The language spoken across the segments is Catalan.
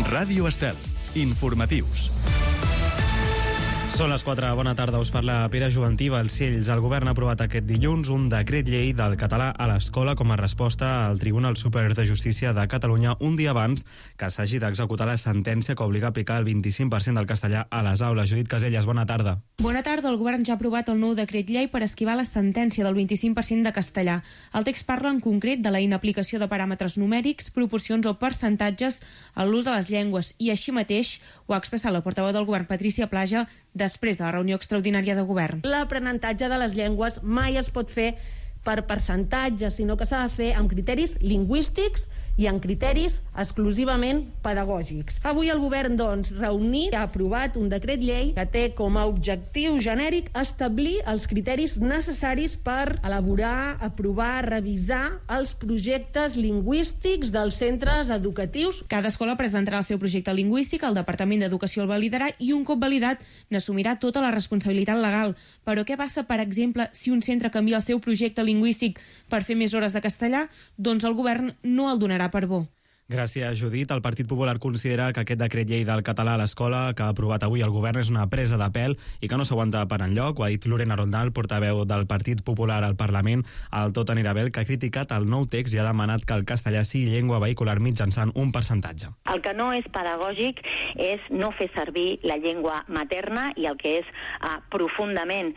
Ràdio Estel. Informatius. Són les 4. Bona tarda, us parla Pere Juventí. Balcells. El govern ha aprovat aquest dilluns un decret llei del català a l'escola com a resposta al Tribunal Superior de Justícia de Catalunya un dia abans que s'hagi d'executar la sentència que obliga a aplicar el 25% del castellà a les aules. Judit Caselles, bona tarda. Bona tarda. El govern ja ha aprovat el nou decret llei per esquivar la sentència del 25% de castellà. El text parla en concret de la inaplicació de paràmetres numèrics, proporcions o percentatges en l'ús de les llengües i així mateix ho ha expressat la portaveu del govern, Patrícia Plaja, després de la reunió extraordinària de govern. L'aprenentatge de les llengües mai es pot fer per percentatges, sinó que s'ha de fer amb criteris lingüístics i amb criteris exclusivament pedagògics. Avui el govern, reunit, ha aprovat un decret llei que té com a objectiu genèric establir els criteris necessaris per elaborar, aprovar, revisar els projectes lingüístics dels centres educatius. Cada escola presentarà el seu projecte lingüístic, el Departament d'Educació el validarà i un cop validat n'assumirà tota la responsabilitat legal. Però què passa, per exemple, si un centre canvia el seu projecte lingüístic per fer més hores de castellà? Doncs el govern no el donarà per bo. Gràcies, Judit. El Partit Popular considera que aquest decret llei del català a l'escola que ha aprovat avui el govern és una presa de pèl i que no s'aguanta per enlloc. Ho ha dit Lorena Rondal, portaveu del Partit Popular al Parlament. El Tot anirà bé, que ha criticat el nou text i ha demanat que el castellà sigui llengua vehicular mitjançant un percentatge. El que no és pedagògic és no fer servir la llengua materna i el que és profundament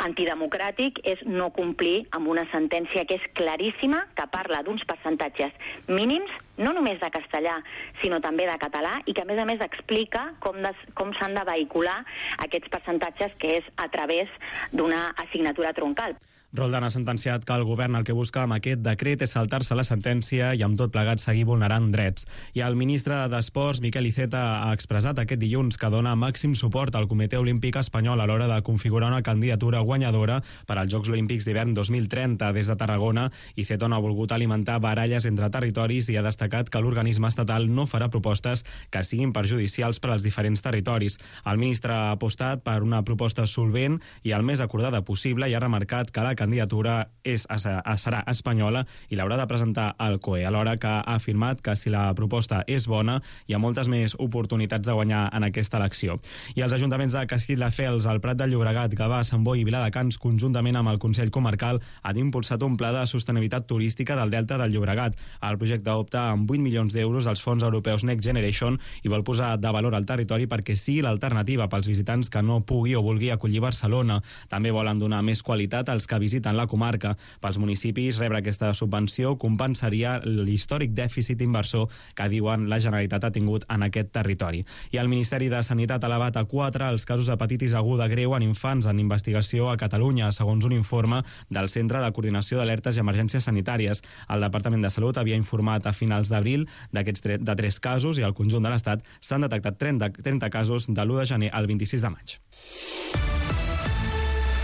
antidemocràtic és no complir amb una sentència que és claríssima, que parla d'uns percentatges mínims, no només de castellà, sinó també de català, i que a més explica com s'han de vehicular aquests percentatges, que és a través d'una assignatura troncal. Roldan ha sentenciat que el govern el que busca amb aquest decret és saltar-se la sentència i amb tot plegat seguir vulnerant drets. I el ministre d'Esports, Miquel Iceta, ha expressat aquest dilluns que dona màxim suport al Comitè Olímpic Espanyol a l'hora de configurar una candidatura guanyadora per als Jocs Olímpics d'hivern 2030 des de Tarragona. Iceta no ha volgut alimentar baralles entre territoris i ha destacat que l'organisme estatal no farà propostes que siguin perjudicials per als diferents territoris. El ministre ha apostat per una proposta solvent i el més acordada possible i ha remarcat que la candidatura serà espanyola i l'haurà de presentar el COE, alhora que ha afirmat que si la proposta és bona hi ha moltes més oportunitats de guanyar en aquesta elecció. I els ajuntaments de Castelldefels, el Prat de Llobregat, Gavà, Sant Boi i Viladecans, conjuntament amb el Consell Comarcal, han impulsat un pla de sostenibilitat turística del Delta del Llobregat. El projecte opta amb 8 milions d'euros als fons europeus Next Generation i vol posar de valor al territori perquè sigui l'alternativa pels visitants que no pugui o vulgui acollir Barcelona. També volen donar més qualitat als que visiten la comarca. Pels municipis, rebre aquesta subvenció compensaria l'històric dèficit inversor que diuen la Generalitat ha tingut en aquest territori. I el Ministeri de Sanitat ha elevat a 4 els casos d'hepatitis aguda greu en infants en investigació a Catalunya, segons un informe del Centre de Coordinació d'Alertes i Emergències Sanitàries. El Departament de Salut havia informat a finals d'abril de 3 casos i al conjunt de l'Estat s'han detectat 30 casos de l'1 de gener al 26 de maig.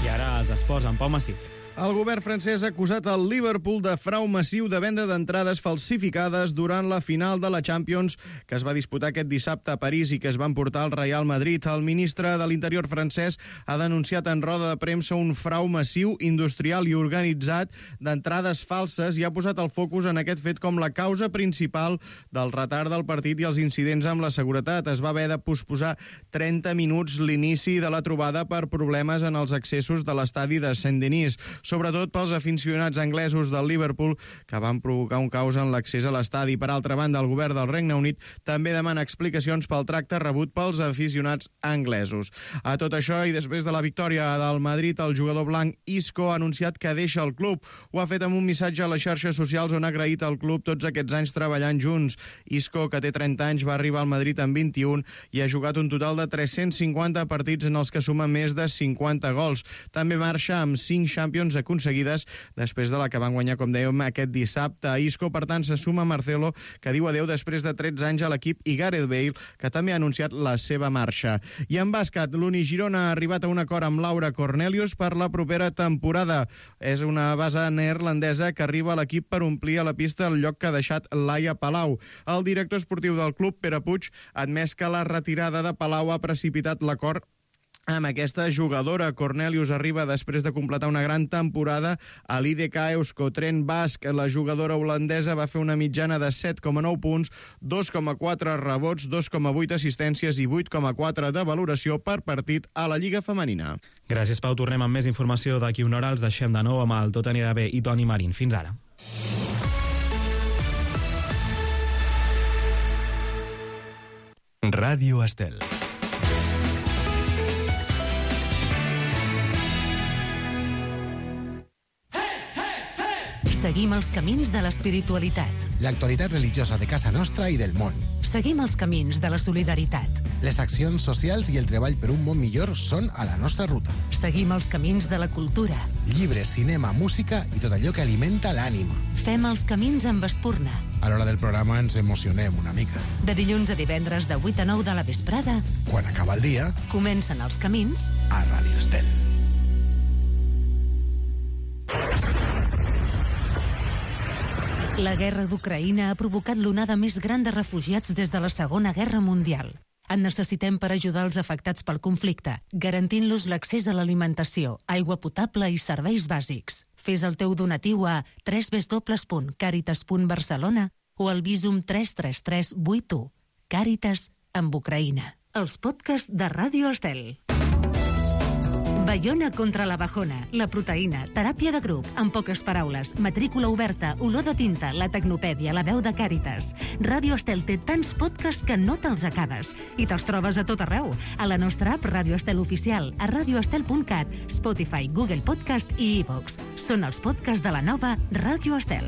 I ara els esports amb Pau Massip. El govern francès ha acusat el Liverpool de frau massiu de venda d'entrades falsificades durant la final de la Champions que es va disputar aquest dissabte a París i que es va emportar al Real Madrid. El ministre de l'Interior francès ha denunciat en roda de premsa un frau massiu, industrial i organitzat d'entrades falses i ha posat el focus en aquest fet com la causa principal del retard del partit i els incidents amb la seguretat. Es va haver de posposar 30 minuts l'inici de la trobada per problemes en els accessos de l'estadi de Saint-Denis, sobretot pels aficionats anglesos del Liverpool, que van provocar un caos en l'accés a l'estadi. Per altra banda, el govern del Regne Unit també demana explicacions pel tracte rebut pels aficionats anglesos. A tot això, i després de la victòria del Madrid, el jugador blanc Isco ha anunciat que deixa el club. Ho ha fet amb un missatge a les xarxes socials on ha agraït al club tots aquests anys treballant junts. Isco, que té 30 anys, va arribar al Madrid amb 21 i ha jugat un total de 350 partits en els que suma més de 50 gols. També marxa amb 5 Champions aconseguides després de la que van guanyar, com dèiem, aquest dissabte. Isco, per tant, se suma a Marcelo, que diu adeu després de 13 anys a l'equip, i Gareth Bale, que també ha anunciat la seva marxa. I en bàsquet, l'Uni Girona ha arribat a un acord amb Laura Cornelius per la propera temporada. És una base neerlandesa que arriba a l'equip per omplir a la pista el lloc que ha deixat Laia Palau. El director esportiu del club, Pere Puig, ha admès que la retirada de Palau ha precipitat l'acord amb aquesta jugadora. Cornelius arriba després de completar una gran temporada a l'IDK Euskotren Basc. La jugadora holandesa va fer una mitjana de 7,9 punts, 2,4 rebots, 2,8 assistències i 8,4 de valoració per partit a la Lliga Femenina. Gràcies, Pau. Tornem amb més informació d'aquí una hora. Els deixem de nou amb el Tot anirà bé i Toni Marín. Fins ara. Ràdio Estel. Seguim els camins de l'espiritualitat. L'actualitat religiosa de casa nostra i del món. Seguim els camins de la solidaritat. Les accions socials i el treball per un món millor són a la nostra ruta. Seguim els camins de la cultura. Llibres, cinema, música i tot allò que alimenta l'ànima. Fem els camins amb Espurna. A l'hora del programa ens emocionem una mica. De dilluns a divendres de 8 a 9 de la vesprada, Quan acaba el dia, comencen els camins a Ràdio Estel. La guerra d'Ucraïna ha provocat l'onada més gran de refugiats des de la Segona Guerra Mundial. En necessitem per ajudar els afectats pel conflicte, garantint-los l'accés a l'alimentació, aigua potable i serveis bàsics. Fes el teu donatiu a www.caritas.barcelona o al Visum 33381. Càritas amb Ucraïna. Els podcasts de Ràdio Estel. Baiona contra la bajona, la proteïna, teràpia de grup, en poques paraules, matrícula oberta, olor de tinta, la tecnopèdia, la veu de Càritas. Ràdio Estel té tants podcasts que no te'ls acabes. I te'ls trobes a tot arreu. A la nostra app Ràdio Estel Oficial, a radioestel.cat, Spotify, Google Podcast i iVox. Són els podcasts de la nova Ràdio Estel.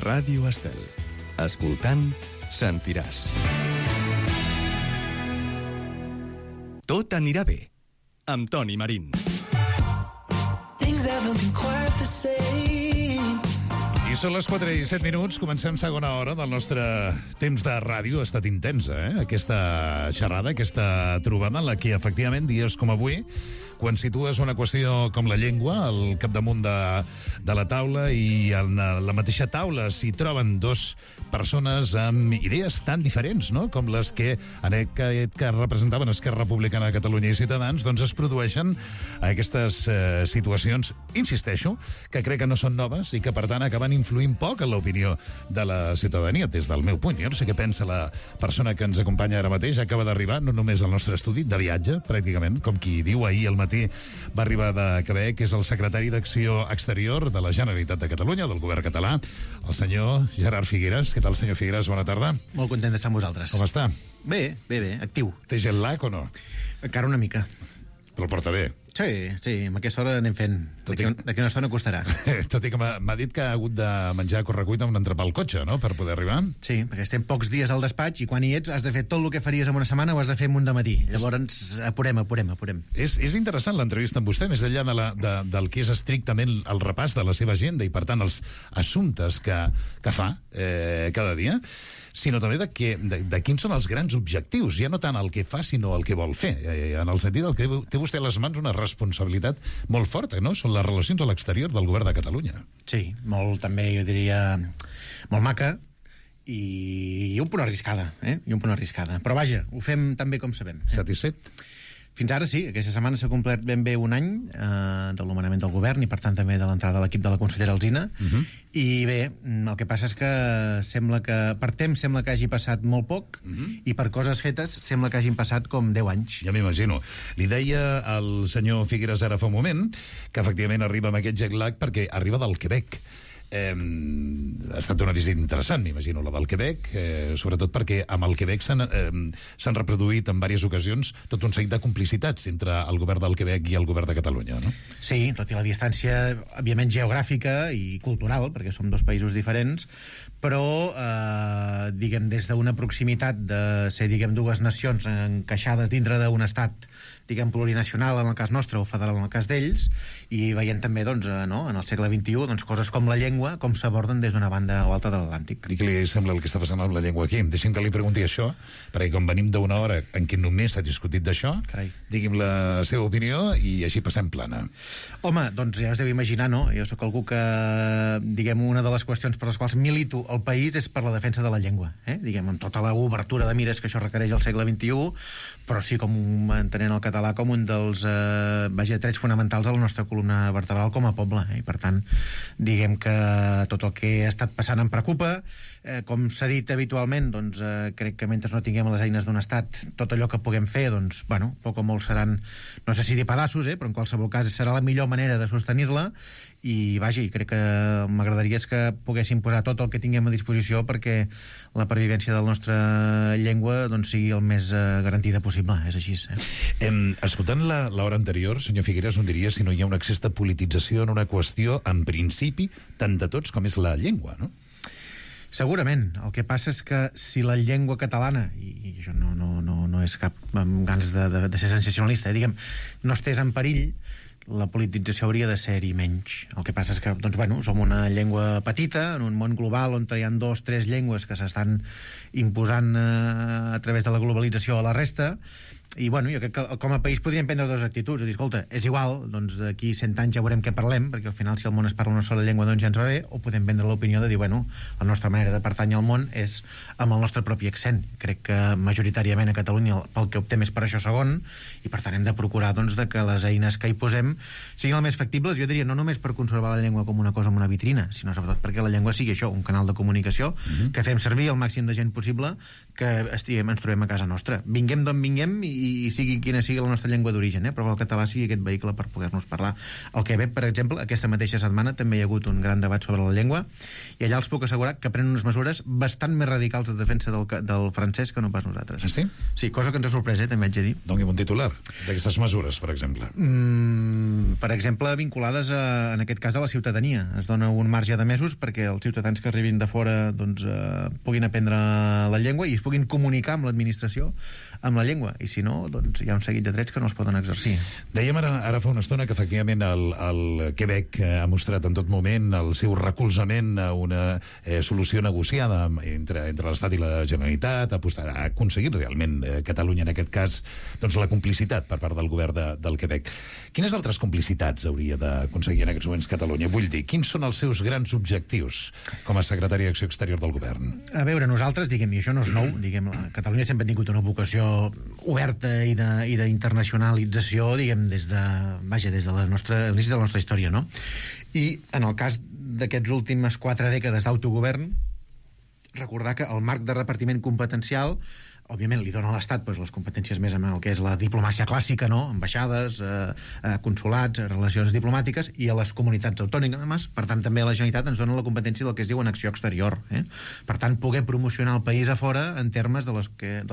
Ràdio Estel. Escoltant, sentiràs. Tot anirà bé, amb Toni Marín. I són les 4:17. Comencem segona hora del nostre temps de ràdio. Ha estat intensa, aquesta xerrada, aquesta trobada en la que, efectivament, dies com avui, quan situes una qüestió com la llengua al capdamunt de la taula i en la mateixa taula s'hi troben dos persones amb idees tan diferents, no?, com les que en aquest cas representaven Esquerra Republicana de Catalunya i Ciutadans, doncs es produeixen aquestes situacions, insisteixo, que crec que no són noves i que, per tant, acaben influint poc en l'opinió de la ciutadania, des del meu punt. Jo no sé què pensa la persona que ens acompanya ara mateix. Acaba d'arribar, no només al nostre estudi, de viatge, pràcticament, com qui diu, ahir al matí va arribar de Quebec, que és el secretari d'Acció Exterior de la Generalitat de Catalunya, del govern català, el senyor Gerard Figueras. Què tal, senyor Figueras? Bona tarda. Molt content d'estar amb vosaltres. Com està? Bé, actiu. Té jet lag o no? Encara una mica. Però el porta bé. Sí, amb aquesta hora anem fent. D'aquí una estona costarà. Tot i que m'ha dit que ha hagut de menjar a correcuita un entrepà al cotxe, no?, per poder arribar. Sí, perquè estem pocs dies al despatx i quan hi ets has de fer tot el que faries en una setmana ho has de fer en un dematí. Llavors, apurem. És interessant l'entrevista amb vostè, més enllà del que és estrictament el repàs de la seva agenda i, per tant, els assumptes que fa cada dia, sinó també de quins són els grans objectius, ja no tant el que fa, sinó el que vol fer. En el sentit que té vostè a les mans una responsabilitat molt forta, no? Són les relacions a l'exterior del govern de Catalunya. Sí, molt, també, jo diria, molt maca i un punt arriscada, Però vaja, ho fem tan bé com sabem. Satisfet? Fins ara sí, aquesta setmana s'ha complert ben bé un any de l'anomenament del govern i, per tant, també de l'entrada de l'equip de la consellera Alsina. I bé, el que passa és que sembla que per temps sembla que hagi passat molt poc i per coses fetes sembla que hagin passat com 10 anys. Ja m'imagino. Li deia al senyor Figueras ara fa un moment que efectivament arriba amb aquest jet lag perquè arriba del Quebec. Ha estat una visita interessant, m'imagino, la del Quebec, sobretot perquè amb el Quebec s'han reproduït en diverses ocasions tot un seguit de complicitats entre el govern del Quebec i el govern de Catalunya, no? Sí, tot i la distància, òbviament, geogràfica i cultural, perquè som dos països diferents, però, diguem, des d'una proximitat de ser, diguem, dues nacions encaixades dintre d'un estat, diguem, plurinacional en el cas nostre o federal en el cas d'ells, i veient també, doncs, no, en el segle XXI, doncs, coses com la llengua llengua com s'aborden des d'una banda o altra de l'Atlàntic. I què li sembla el que està passant amb la llengua aquí? Deixi'm que li pregunti això, perquè com venim d'una hora en què només s'ha discutit d'això, digui'm la seva opinió i així passem plana. Home, doncs ja us deu imaginar, no? Jo sóc algú que, diguem, una de les qüestions per les quals milito el país és per la defensa de la llengua, diguem, amb tota l'obertura de mires que això requereix al segle XXI, però sí com entenent el català com un dels trets fonamentals de la nostra columna vertebral com a poble, i per tant, diguem que tot el que ha estat passant em preocupa. Com s'ha dit habitualment, doncs crec que mentre no tinguem les eines d'un estat, tot allò que puguem fer, doncs, bueno, poc o molt seran, no sé si dir pedaços, però en qualsevol cas serà la millor manera de sostenir-la, i vaja, i crec que m'agradaria que poguéssim posar tot el que tinguem a disposició perquè la pervivència de la nostra llengua doncs, sigui el més garantida possible, és així. Escoltant l'hora anterior, senyor Figueras, on diria si no hi ha un excés de politització en una qüestió, en principi, tant de tots com és la llengua, no? Segurament. El que passa és que si la llengua catalana, i això no és cap amb ganes de ser sensacionalista, diguem, no estés en perill, la politització hauria de ser-hi menys. El que passa és que, doncs, bueno, som una llengua petita, en un món global on hi ha 2 o 3 llengües que s'estan imposant a través de la globalització a la resta, i, bueno, jo crec que com a país podríem prendre 2 actituds, dir, escolta, és igual, doncs d'aquí 100 anys ja veurem què parlem, perquè al final si al món es parla una sola llengua doncs ja ens va bé, o podem prendre l'opinió de dir, bueno, la nostra manera de pertànyer al món és amb el nostre propi accent. Crec que majoritàriament a Catalunya pel que optem és per això segon, i per tant hem de procurar doncs, de que les eines que hi posem siguin el més factibles, jo diria, no només per conservar la llengua com una cosa amb una vitrina, sinó sobretot perquè la llengua sigui això, un canal de comunicació que fem servir el màxim de gent possible que ens trobem a casa nostra. Vinguem d'on vinguem i sigui quina sigui la nostra llengua d'origen, però que el català sigui aquest vehicle per poder-nos parlar. Al Quebec, per exemple, aquesta mateixa setmana també hi ha hagut un gran debat sobre la llengua, i allà els puc assegurar que prenen unes mesures bastant més radicals de defensa del francès que no pas nosaltres. Sí? Sí, cosa que ens ha sorprès, també haig de dir. Doni'm un titular d'aquestes mesures, per exemple. Per exemple, vinculades en aquest cas a la ciutadania. Es dona un marge de mesos perquè els ciutadans que arribin de fora doncs, puguin aprendre la llengua i es puguin comunicar amb l'administració amb la llengua, i si no, doncs hi ha un seguit de drets que no es poden exercir. Dèiem ara fa una estona que efectivament el Quebec ha mostrat en tot moment el seu recolzament a una solució negociada entre l'Estat i la Generalitat, ha aconseguit realment Catalunya en aquest cas doncs la complicitat per part del govern del Quebec. Quines altres complicitats hauria d'aconseguir en aquests moments Catalunya? Vull dir, quins són els seus grans objectius com a secretari d'Acció Exterior del govern? A veure, nosaltres, diguem, i això no és nou, diguem, Catalunya sempre ha tingut una vocació oberta i d'internacionalització, diguem, des de l'inici de la nostra història, no? I en el cas d'aquests últimes 4 dècades d'autogovern, recordar que el marc de repartiment competencial òbviament li dona a l'Estat les competències més en el que és la diplomàcia clàssica, no? Ambaixades, consulats, relacions diplomàtiques, i a les comunitats autònomes, per tant també a la Generalitat ens dona la competència del que es diu en acció exterior. Per tant, poder promocionar el país a fora en termes dels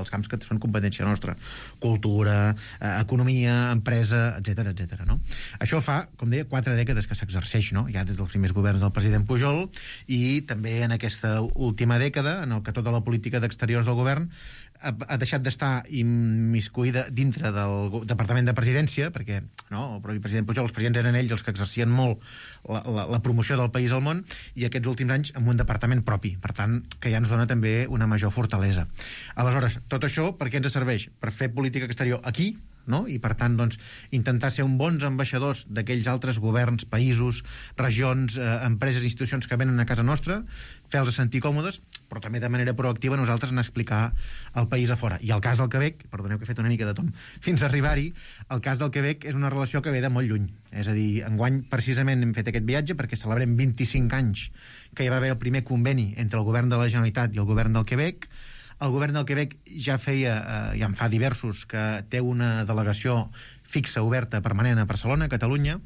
camps que són competència nostra. Cultura, economia, empresa, etc. No? Això fa, com deia, 4 dècades que s'exerceix, no? Ja des dels primers governs del president Pujol, i també en aquesta última dècada, en el que tota la política d'exteriors del govern ha deixat d'estar immiscuïda dintre del Departament de Presidència, perquè no, el propi president Pujol, els presidents eren ells els que exercien molt la promoció del país al món, i aquests últims anys amb un departament propi, per tant, que ja ens dona també una major fortalesa. Aleshores, tot això per què ens serveix? Per fer política exterior aquí, no? I per tant, doncs, intentar ser un bons ambaixadors d'aquells altres governs, països, regions, empreses, institucions que venen a casa nostra, fer-los sentir còmodes, però també de manera proactiva nosaltres anar a explicar el país a fora. I el cas del Quebec, perdoneu que he fet una mica de tom fins a arribar-hi, el cas del Quebec és una relació que ve de molt lluny. És a dir, enguany precisament hem fet aquest viatge perquè celebrem 25 anys que hi va haver el primer conveni entre el govern de la Generalitat i el govern del Quebec. El govern del Quebec ja en fa diversos, que té una delegació fixa, oberta, permanent a Barcelona, a Catalunya,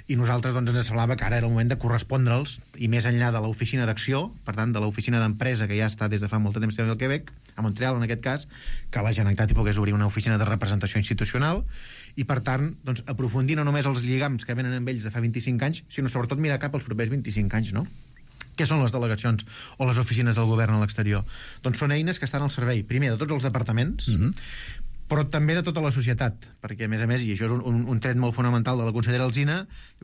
i nosaltres doncs, ens semblava que ara era el moment de correspondre'ls, i més enllà de l'oficina d'acció, per tant, de l'oficina d'empresa que ja està des de fa molt de temps al Quebec, a Montreal en aquest cas, que la Generalitat hi pogués obrir una oficina de representació institucional, i per tant, doncs, aprofundir no només els lligams que venen amb ells de fa 25 anys, sinó sobretot mirar cap als propers 25 anys, no? Què són les delegacions o les oficines del govern a l'exterior? Doncs són eines que estan al servei, primer, de tots els departaments, però també de tota la societat, perquè, a més, i això és un tret molt fonamental de la consellera Alsina,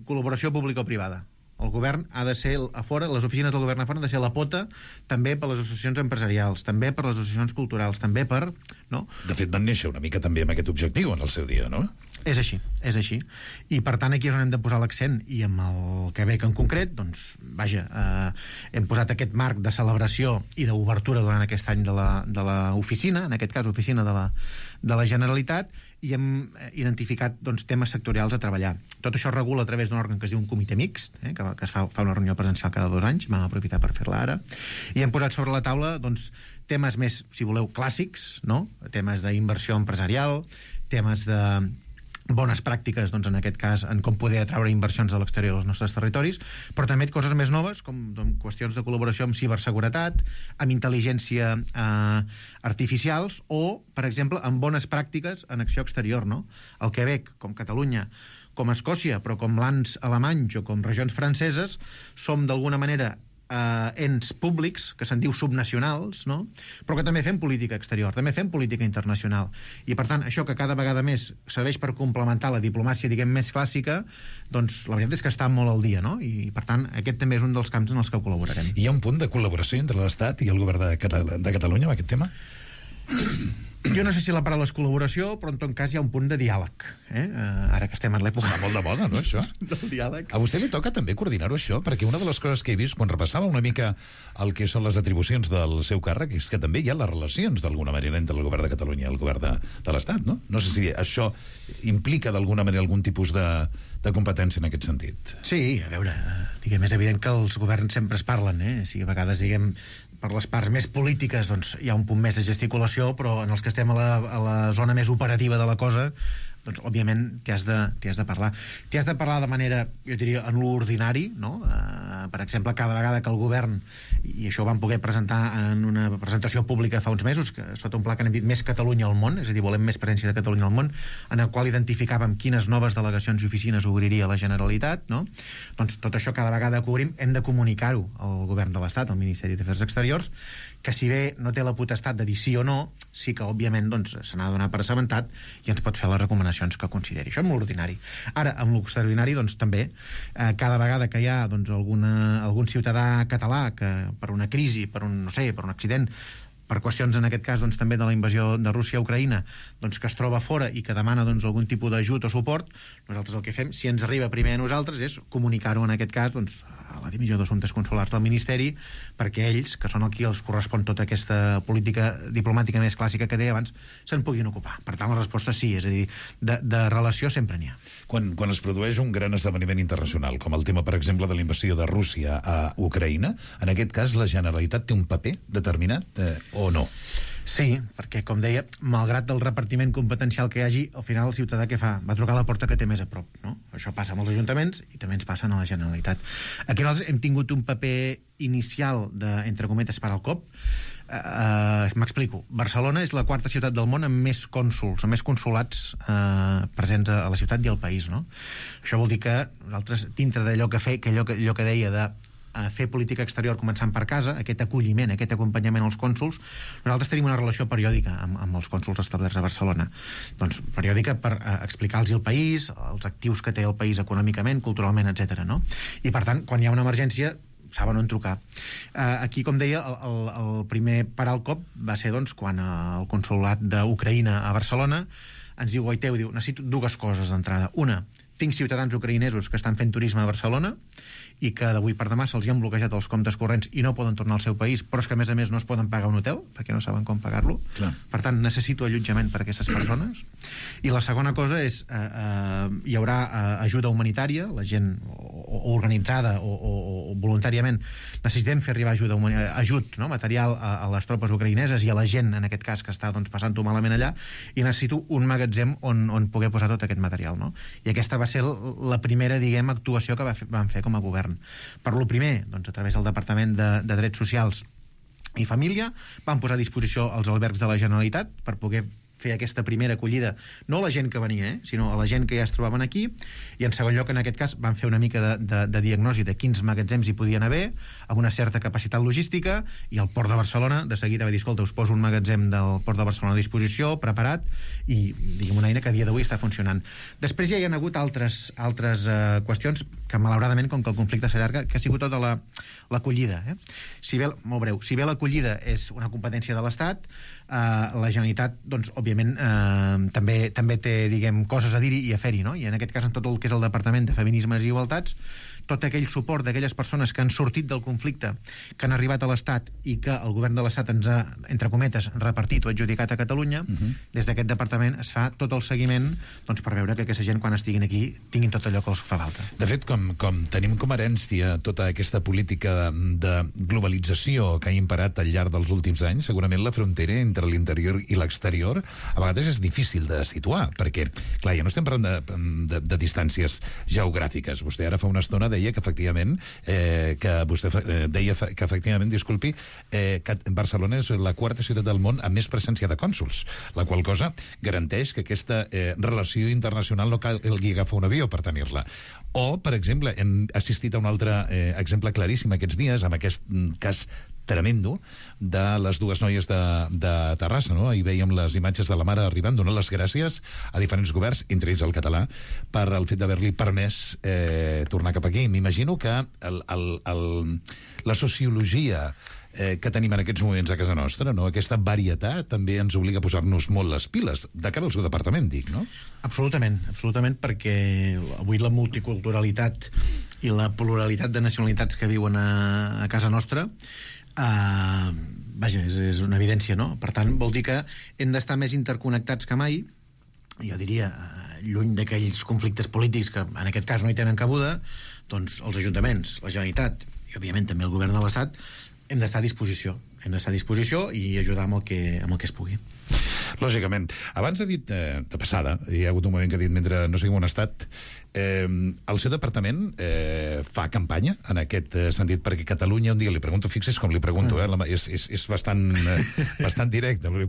col·laboració pública-privada. El govern ha de ser a fora, les oficines del govern a fora han de ser la pota també per les associacions empresarials, també per les associacions culturals, també per... No? De fet, van néixer una mica també amb aquest objectiu en el seu dia, no? És així, és així. I per tant aquí és on hem de posar l'accent, i amb el Quebec en concret, doncs, vaja, hem posat aquest marc de celebració i d'obertura durant aquest any de l'oficina, en aquest cas oficina de la Generalitat, i hem identificat doncs, temes sectorials a treballar. Tot això es regula a través d'un òrgan que es diu un comitè mixt, que es fa una reunió presencial cada 2 anys, vam aprofitar per fer-la ara, i hem posat sobre la taula doncs, temes més, si voleu, clàssics, no? Temes d'inversió empresarial, temes de bones pràctiques, doncs, en aquest cas, en com poder atraure inversions a l'exterior dels nostres territoris, però també coses més noves, com qüestions de col·laboració amb ciberseguretat, amb intel·ligència artificials, o, per exemple, amb bones pràctiques en acció exterior, no? El Quebec, com Catalunya, com Escòcia, però com lands alemanys o com regions franceses, som d'alguna manera ens públics, que se'n diu subnacionals, no? Però que també fem política exterior, també fem política internacional. I, per tant, això que cada vegada més serveix per complementar la diplomàcia, diguem, més clàssica, doncs la veritat és que està molt al dia, no? I, per tant, aquest també és un dels camps en els que col·laborarem. Hi ha un punt de col·laboració entre l'Estat i el govern de Catalunya amb aquest tema? Jo no sé si la paraula és col·laboració, però en tot cas hi ha un punt de diàleg. Ara que estem en l'època... Està molt de moda, no, això? Del diàleg. A vostè li toca també coordinar-ho, això? Perquè una de les coses que he vist quan repassava una mica el que són les atribucions del seu càrrec és que també hi ha les relacions, d'alguna manera, entre el govern de Catalunya i el govern de l'Estat, no? No sé si això implica, d'alguna manera, algun tipus de competència en aquest sentit. Sí, a veure, diguem, és evident que els governs sempre es parlen, Si a vegades, diguem, per les parts més polítiques doncs hi ha un punt més de gesticulació, però en els que estem a la zona més operativa de la cosa, doncs, òbviament, t'hi has de parlar. T'hi has de parlar de manera, jo diria, en l'ordinari, no? Per exemple, cada vegada que el govern, i això ho vam poder presentar en una presentació pública fa uns mesos, que sota un pla que n'hem dit Més Catalunya al món, és a dir, volem més presència de Catalunya al món, en el qual identificàvem quines noves delegacions i oficines obriria la Generalitat, no? Doncs tot això cada vegada que obrim hem de comunicar-ho al govern de l'Estat, al Ministeri d'Afers Exteriors, que si bé no té la potestat de dir sí o no, sí que, òbviament, doncs, se n'ha de donar per assabentat i ens pot fer les recomanacions que consideri. Això amb l'ordinari. Ara, amb l'extraordinari, doncs, també, cada vegada que hi ha doncs, algun ciutadà català que per una crisi, per un accident, per qüestions, en aquest cas, doncs, també de la invasió de Rússia a Ucraïna, doncs, que es troba fora i que demana doncs, algun tipus d'ajut o suport, nosaltres el que fem, si ens arriba primer a nosaltres, és comunicar-ho, en aquest cas, doncs, a la Divisió d'Assumptes Consulars del Ministeri, perquè ells, que són qui els correspon tota aquesta política diplomàtica més clàssica que deia abans, se'n puguin ocupar. Per tant, la resposta sí, és a dir, de relació sempre n'hi ha. Quan es produeix un gran esdeveniment internacional, com el tema, per exemple, de la invasió de Rússia a Ucraïna, en aquest cas la Generalitat té un paper determinat o no? Sí, perquè, com deia, malgrat el repartiment competencial que hi hagi, al final el ciutadà què fa? Va trucar a la porta que té més a prop, no? Això passa amb els ajuntaments i també ens passa a la Generalitat. Aquí nosaltres hem tingut un paper inicial entre cometes, per al cop. M'explico. Barcelona és la 4ª ciutat del món amb més cònsols, amb més consolats presents a la ciutat i al país, no? Això vol dir que nosaltres, dintre d'allò allò que deia de fer política exterior començant per casa, aquest acolliment, aquest acompanyament als cònsols, nosaltres tenim una relació periòdica amb els cònsols establerts a Barcelona. Doncs periòdica per explicar-los el país, els actius que té el país econòmicament, culturalment, etc. No? I per tant, quan hi ha una emergència, saben on trucar. Aquí, com deia, el primer parar al cop va ser doncs, quan el consolat d'Ucraïna a Barcelona ens diu, Goiteu, necessito 2 coses d'entrada. Una, tinc ciutadans ucraïnesos que estan fent turisme a Barcelona i que d'avui per demà se'ls han bloquejat els comptes corrents i no poden tornar al seu país, però és que a més no es poden pagar un hotel perquè no saben com pagar-lo. Per tant, necessito allotjament per a aquestes persones. I la segona cosa és hi haurà ajuda humanitària, la gent o organitzada o voluntàriament necessitem fer arribar ajut material a les tropes ucraïneses i a la gent, en aquest cas, que està doncs, passant-ho malament allà, i necessito un magatzem on poder posar tot aquest material. No? I aquesta va ser la primera, diguem, actuació que vam fer com a govern. Per lo primer, doncs, a través del Departament de Drets Socials i Família, vam posar a disposició els albergs de la Generalitat per poder fer aquesta primera acollida, no a la gent que venia, sinó a la gent que ja es trobaven aquí, i en segon lloc, en aquest cas, van fer una mica de diagnosi de quins magatzems hi podien haver, amb una certa capacitat logística, i el Port de Barcelona de seguida va dir, escolta, us poso un magatzem del Port de Barcelona a disposició, preparat, i diguem una eina que a dia d'avui està funcionant. Després ja hi ha hagut altres qüestions que, malauradament, com que el conflicte s'allarga, que ha sigut tota l'acollida. Si bé, molt breu, si bé l'acollida és una competència de l'Estat, la Generalitat, doncs, òbviament, també té, diguem, coses a dir-hi i a fer-hi, no? I en aquest cas, en tot el que és el Departament de Feminismes i Igualtats, tot aquell suport d'aquelles persones que han sortit del conflicte, que han arribat a l'Estat i que el govern de l'Estat ens ha, entre cometes, repartit o adjudicat a Catalunya, des d'aquest departament es fa tot el seguiment, doncs, per veure que aquesta gent, quan estiguin aquí, tinguin tot allò que els fa falta. De fet, com tenim com a herència tota aquesta política de globalització que ha imperat al llarg dels últims anys, segurament la frontera entre l'interior i l'exterior a vegades és difícil de situar, perquè, clar, ja no estem parlant de distàncies geogràfiques. Vostè ara fa una estona deia que efectivament disculpi, que Barcelona és la quarta ciutat del món amb més presència de cònsols, la qual cosa garanteix que aquesta relació internacional no calgui agafar un avió per tenir-la. O, per exemple, hem assistit a un altre exemple claríssim aquests dies, amb aquest cas tremendo de les dues noies de Terrassa, no? Ahir veiem les imatges de la mare arribant, donant les gràcies a diferents governs, entre ells el català, per el fet d'haver-li permès tornar cap aquí. M'imagino que la sociologia que tenim en aquests moments a casa nostra, no? Aquesta varietat també ens obliga a posar-nos molt les piles, de cara al seu departament, dic, no? Absolutament, perquè avui la multiculturalitat i la pluralitat de nacionalitats que viuen a casa nostra vaja, és una evidència, no? Per tant, vol dir que hem d'estar més interconnectats que mai, jo diria, lluny d'aquells conflictes polítics que en aquest cas no hi tenen cabuda, doncs els ajuntaments, la Generalitat i, òbviament, també el govern de l'Estat hem d'estar a disposició. Hem d'estar a disposició i ajudar amb el que es pugui. Lògicament. Abans ha dit, de passada, hi ha hagut un moment que ha dit, mentre no sigui un estat, el seu departament fa campanya en aquest sentit, perquè Catalunya, un dia li pregunto, fixis com li pregunto, és bastant directe, no li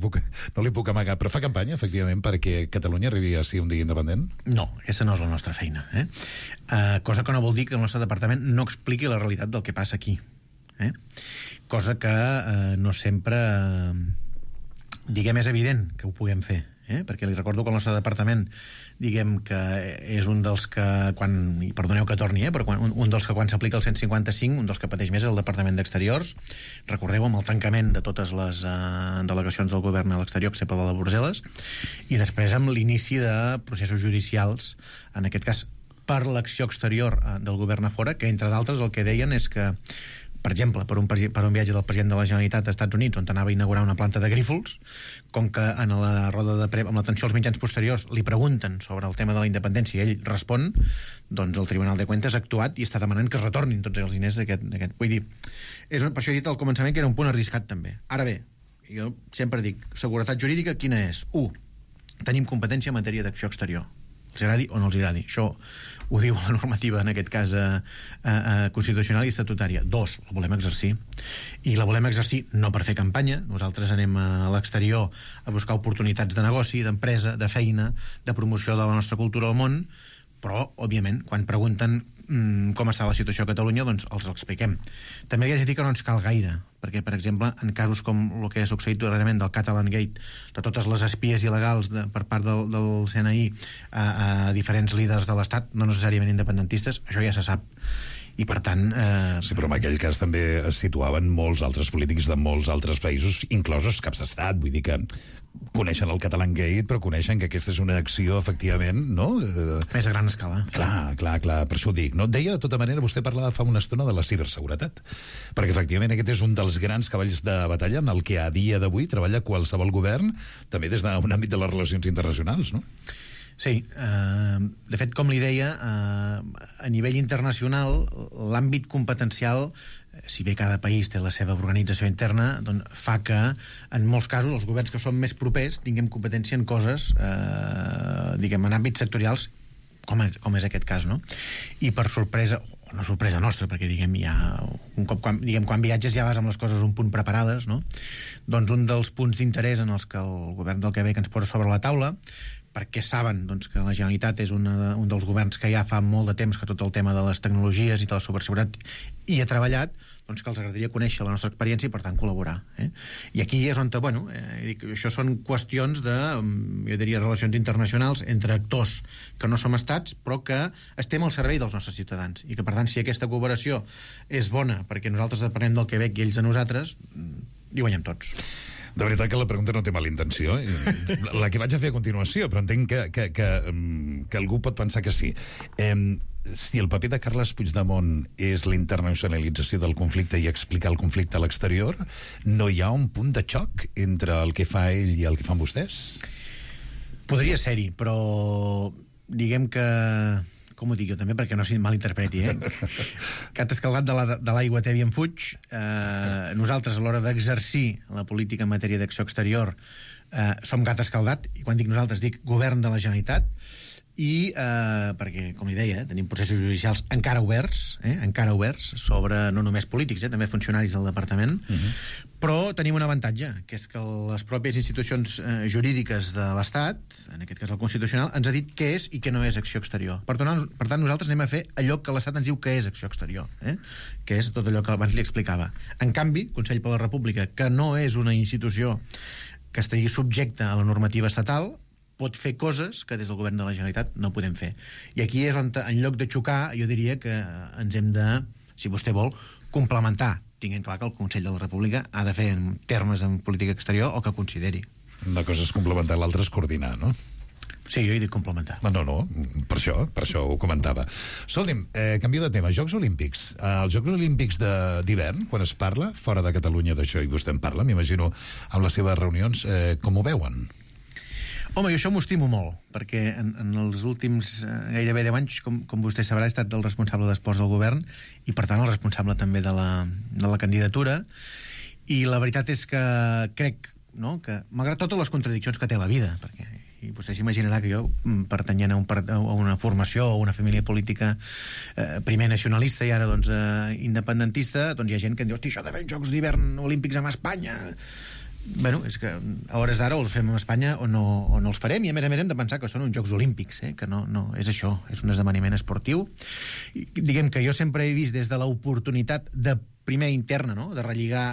puc amagar, però fa campanya, efectivament, perquè Catalunya arribi a ser un dia independent? No, aquesta no és la nostra feina. Cosa que no vol dir que el nostre departament no expliqui la realitat del que passa aquí. Cosa que no sempre diguem és evident que ho puguem fer, perquè li recordo que el nostre departament diguem que és un dels que i perdoneu que torni, però un dels que quan s'aplica el 155, un dels que pateix més és el Departament d'Exteriors. Recordeu amb el tancament de totes les delegacions del govern a l'exterior, excepte de la Brussel·les, i després amb l'inici de processos judicials, en aquest cas per l'acció exterior del govern a fora, que entre d'altres el que deien és que, per exemple, per un viatge del president de la Generalitat als Estats Units, on anava a inaugurar una planta de Grífols, com que en la roda de amb l'atenció als mitjans posteriors li pregunten sobre el tema de la independència i ell respon, doncs el Tribunal de Cuentas ha actuat i està demanant que es retornin tots els diners d'aquest. Vull dir, per això he dit al començament que era un punt arriscat també. Ara bé, jo sempre dic, seguretat jurídica quina és? 1. Tenim competència en matèria d'acció exterior. Els agradi o no els agradi. Això ho diu la normativa, en aquest cas constitucional i estatutària. 2, la volem exercir. I la volem exercir no per fer campanya. Nosaltres anem a l'exterior a buscar oportunitats de negoci, d'empresa, de feina, de promoció de la nostra cultura al món, però, òbviament, quan pregunten com està la situació a Catalunya, doncs els expliquem. També li haig de dir que no ens cal gaire, perquè, per exemple, en casos com el que ha succeït darrerament del Catalan Gate, de totes les espies il·legals per part del CNI a diferents líders de l'Estat, no necessàriament independentistes, això ja se sap. I, per tant... Sí, però en aquell cas també es situaven molts altres polítics de molts altres països, inclosos caps d'estat, vull dir que coneixen el Catalan Gate, però coneixen que aquesta és una acció, efectivament, no? Més a gran escala. Clar, per això ho dic, no? Deia, de tota manera, vostè parlava fa una estona de la ciberseguretat, perquè, efectivament, aquest és un dels grans cavalls de batalla en el que a dia d'avui treballa qualsevol govern, també des d'un àmbit de les relacions internacionals, no? Sí, de fet, com li deia, a nivell internacional, l'àmbit competencial, si bé cada país té la seva organització interna, doncs fa que, en molts casos, els governs que són més propers tinguem competència en coses, diguem, en àmbits sectorials com és aquest cas, no? I per sorpresa, o no sorpresa nostra, perquè diguem, quan viatges ja vas amb les coses un punt preparades, no? Doncs un dels punts d'interès en els que el govern del Quebec ens posa sobre la taula, perquè saben doncs, que la Generalitat és un dels governs que ja fa molt de temps que tot el tema de les tecnologies i de la ciberseguretat hi ha treballat, doncs que els agradaria conèixer la nostra experiència i, per tant, col·laborar. I aquí és on, això són qüestions de, jo diria, relacions internacionals entre actors que no som estats, però que estem al servei dels nostres ciutadans. I que, per tant, si aquesta cooperació és bona perquè nosaltres depenem del Quebec i ells de nosaltres, hi guanyem tots. De veritat que la pregunta no té mala intenció. La que vaig a fer a continuació, però entenc que algú pot pensar que sí. Si el paper de Carles Puigdemont és la internacionalització del conflicte i explicar el conflicte a l'exterior, no hi ha un punt de xoc entre el que fa ell i el que fan vostès? Podria ser-hi, però diguem que... Com ho dic jo també, perquè no s'hi malinterpreti, Gat escaldat de l'aigua tèbia en fuig. Nosaltres, a l'hora d'exercir la política en matèria d'acció exterior, som gat escaldat, i quan dic nosaltres dic govern de la Generalitat, i perquè, com li deia, tenim processos judicials encara oberts sobre no només polítics, també funcionaris del departament, però tenim un avantatge, que és que les pròpies institucions jurídiques de l'Estat, en aquest cas el Constitucional, ens ha dit què és i què no és acció exterior. Per tant, nosaltres anem a fer allò que l'Estat ens diu que és acció exterior, que és tot allò que abans li explicava. En canvi, Consell per la República, que no és una institució que estigui subjecta a la normativa estatal, pot fer coses que des del govern de la Generalitat no podem fer. I aquí és on, en lloc de xocar, jo diria que ens hem de, si vostè vol, complementar. Tinguem clar que el Consell de la República ha de fer en termes en política exterior o que consideri. Una cosa és complementar, l'altra és coordinar, no? Sí, jo he dit complementar. No, per això ho comentava. Escolti'm, canvio de tema. Jocs Olímpics. Els Jocs Olímpics d'hivern, quan es parla, fora de Catalunya d'això, i vostè en parla, m'imagino, amb les seves reunions, com ho veuen? Home, jo això m'ho estimo molt, perquè en els últims gairebé 10 anys, com vostè sabrà, he estat el responsable d'esports del govern i, per tant, el responsable també de la candidatura. I la veritat és que crec, no?, que, malgrat totes les contradiccions que té la vida, perquè i vostè s'imaginarà que jo, pertanyent a una formació o una família política primer nacionalista i ara doncs independentista, doncs hi ha gent que em diu, hosti, això de fer Jocs d'hivern olímpics amb Espanya... Bueno, és que a hores d'ara o els fem a Espanya o no els farem, i a més hem de pensar que són uns Jocs Olímpics, que no és això, és un esdeveniment esportiu. I, diguem que jo sempre he vist des de l'oportunitat de primer interna, no?, de relligar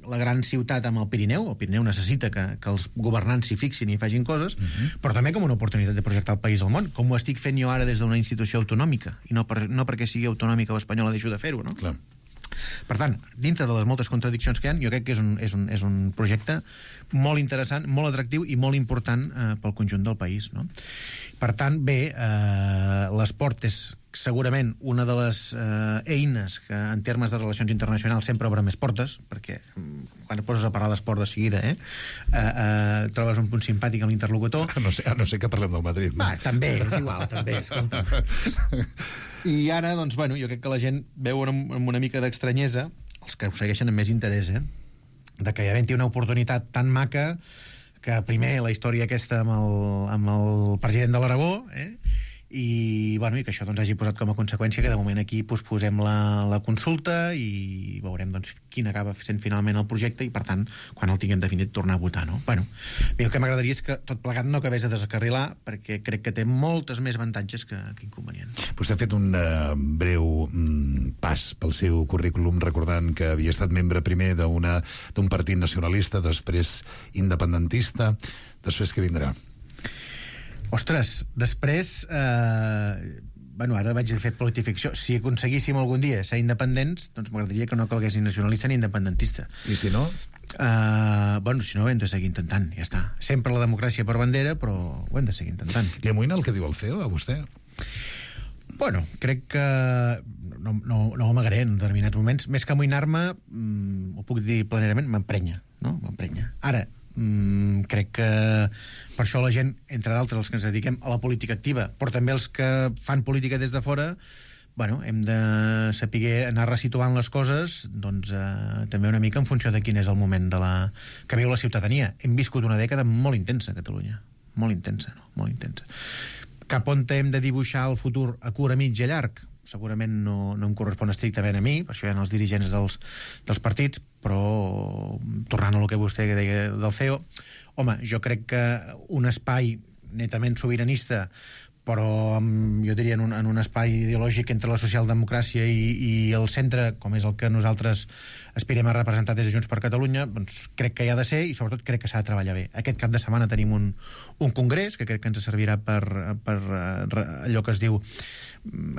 la gran ciutat amb el Pirineu necessita que els governants s'hi fixin i facin coses, però també com una oportunitat de projectar el país al món, com ho estic fent jo ara des d'una institució autonòmica, i no perquè sigui autonòmica o espanyola deixo de fer-ho, no? Clar. Per tant, dintre de les moltes contradiccions que hi ha, jo crec que és un projecte molt interessant, molt atractiu i molt important pel conjunt del país, no? Per tant, bé, l'esport és segurament una de les eines que en termes de relacions internacionals sempre obre més portes, perquè quan et poses a parlar d'esport de seguida trobes un punt simpàtic amb l'interlocutor. A no ser que parlem del Madrid, no? També, és igual, també, escolta. I ara, doncs, bueno, jo crec que la gent veu amb una mica d'estranyesa, els que ho segueixen amb més interès, de que hi havent una oportunitat tan maca que primer la història aquesta amb el president de l'Aragó, i que això doncs, hagi posat com a conseqüència que de moment aquí posposem la consulta i veurem doncs, quin acaba sent finalment el projecte i, per tant, quan el tinguem definit, tornar a votar, no? Bueno, el que m'agradaria és que tot plegat no acabés de descarrilar, perquè crec que té moltes més avantatges que inconvenients. Vostè ha fet un breu pas pel seu currículum, recordant que havia estat membre primer d'un partit nacionalista, després independentista. Després què vindrà? Ostres, després... ara vaig fer politificció. Si aconseguíssim algun dia ser independents, doncs m'agradaria que no calgués ni nacionalista ni independentista. I si no? Si no, ho hem de seguir intentant, ja està. Sempre la democràcia per bandera, però ho hem de seguir intentant. Li amoïna el que diu el CEO, a vostè? Bueno, crec que no amagaré en determinats moments. Més que amoïnar-me, ho puc dir planerament, m'emprenya, no? M'emprenya. Ara, crec que per això la gent, entre d'altres els que ens dediquem a la política activa, però també els que fan política des de fora, hem de saber anar resituant les coses, doncs també una mica en funció de quin és el moment que viu la ciutadania. Hem viscut una dècada molt intensa a Catalunya, molt intensa, no? Molt intensa. Cap on hem de dibuixar el futur a curt, a mig i a llarg? Segurament no em correspon estrictament a mi, per això hi ha els dirigents dels partits, però tornant a lo que vostè deia del CEO, home, jo crec que un espai netament sobiranista, però jo diria en un espai ideològic entre la socialdemocràcia i el centre, com és el que nosaltres aspirem a representar des de Junts per Catalunya, doncs crec que hi ha de ser i sobretot crec que s'ha de treballar bé. Aquest cap de setmana tenim un congrés que crec que ens servirà per allò que es diu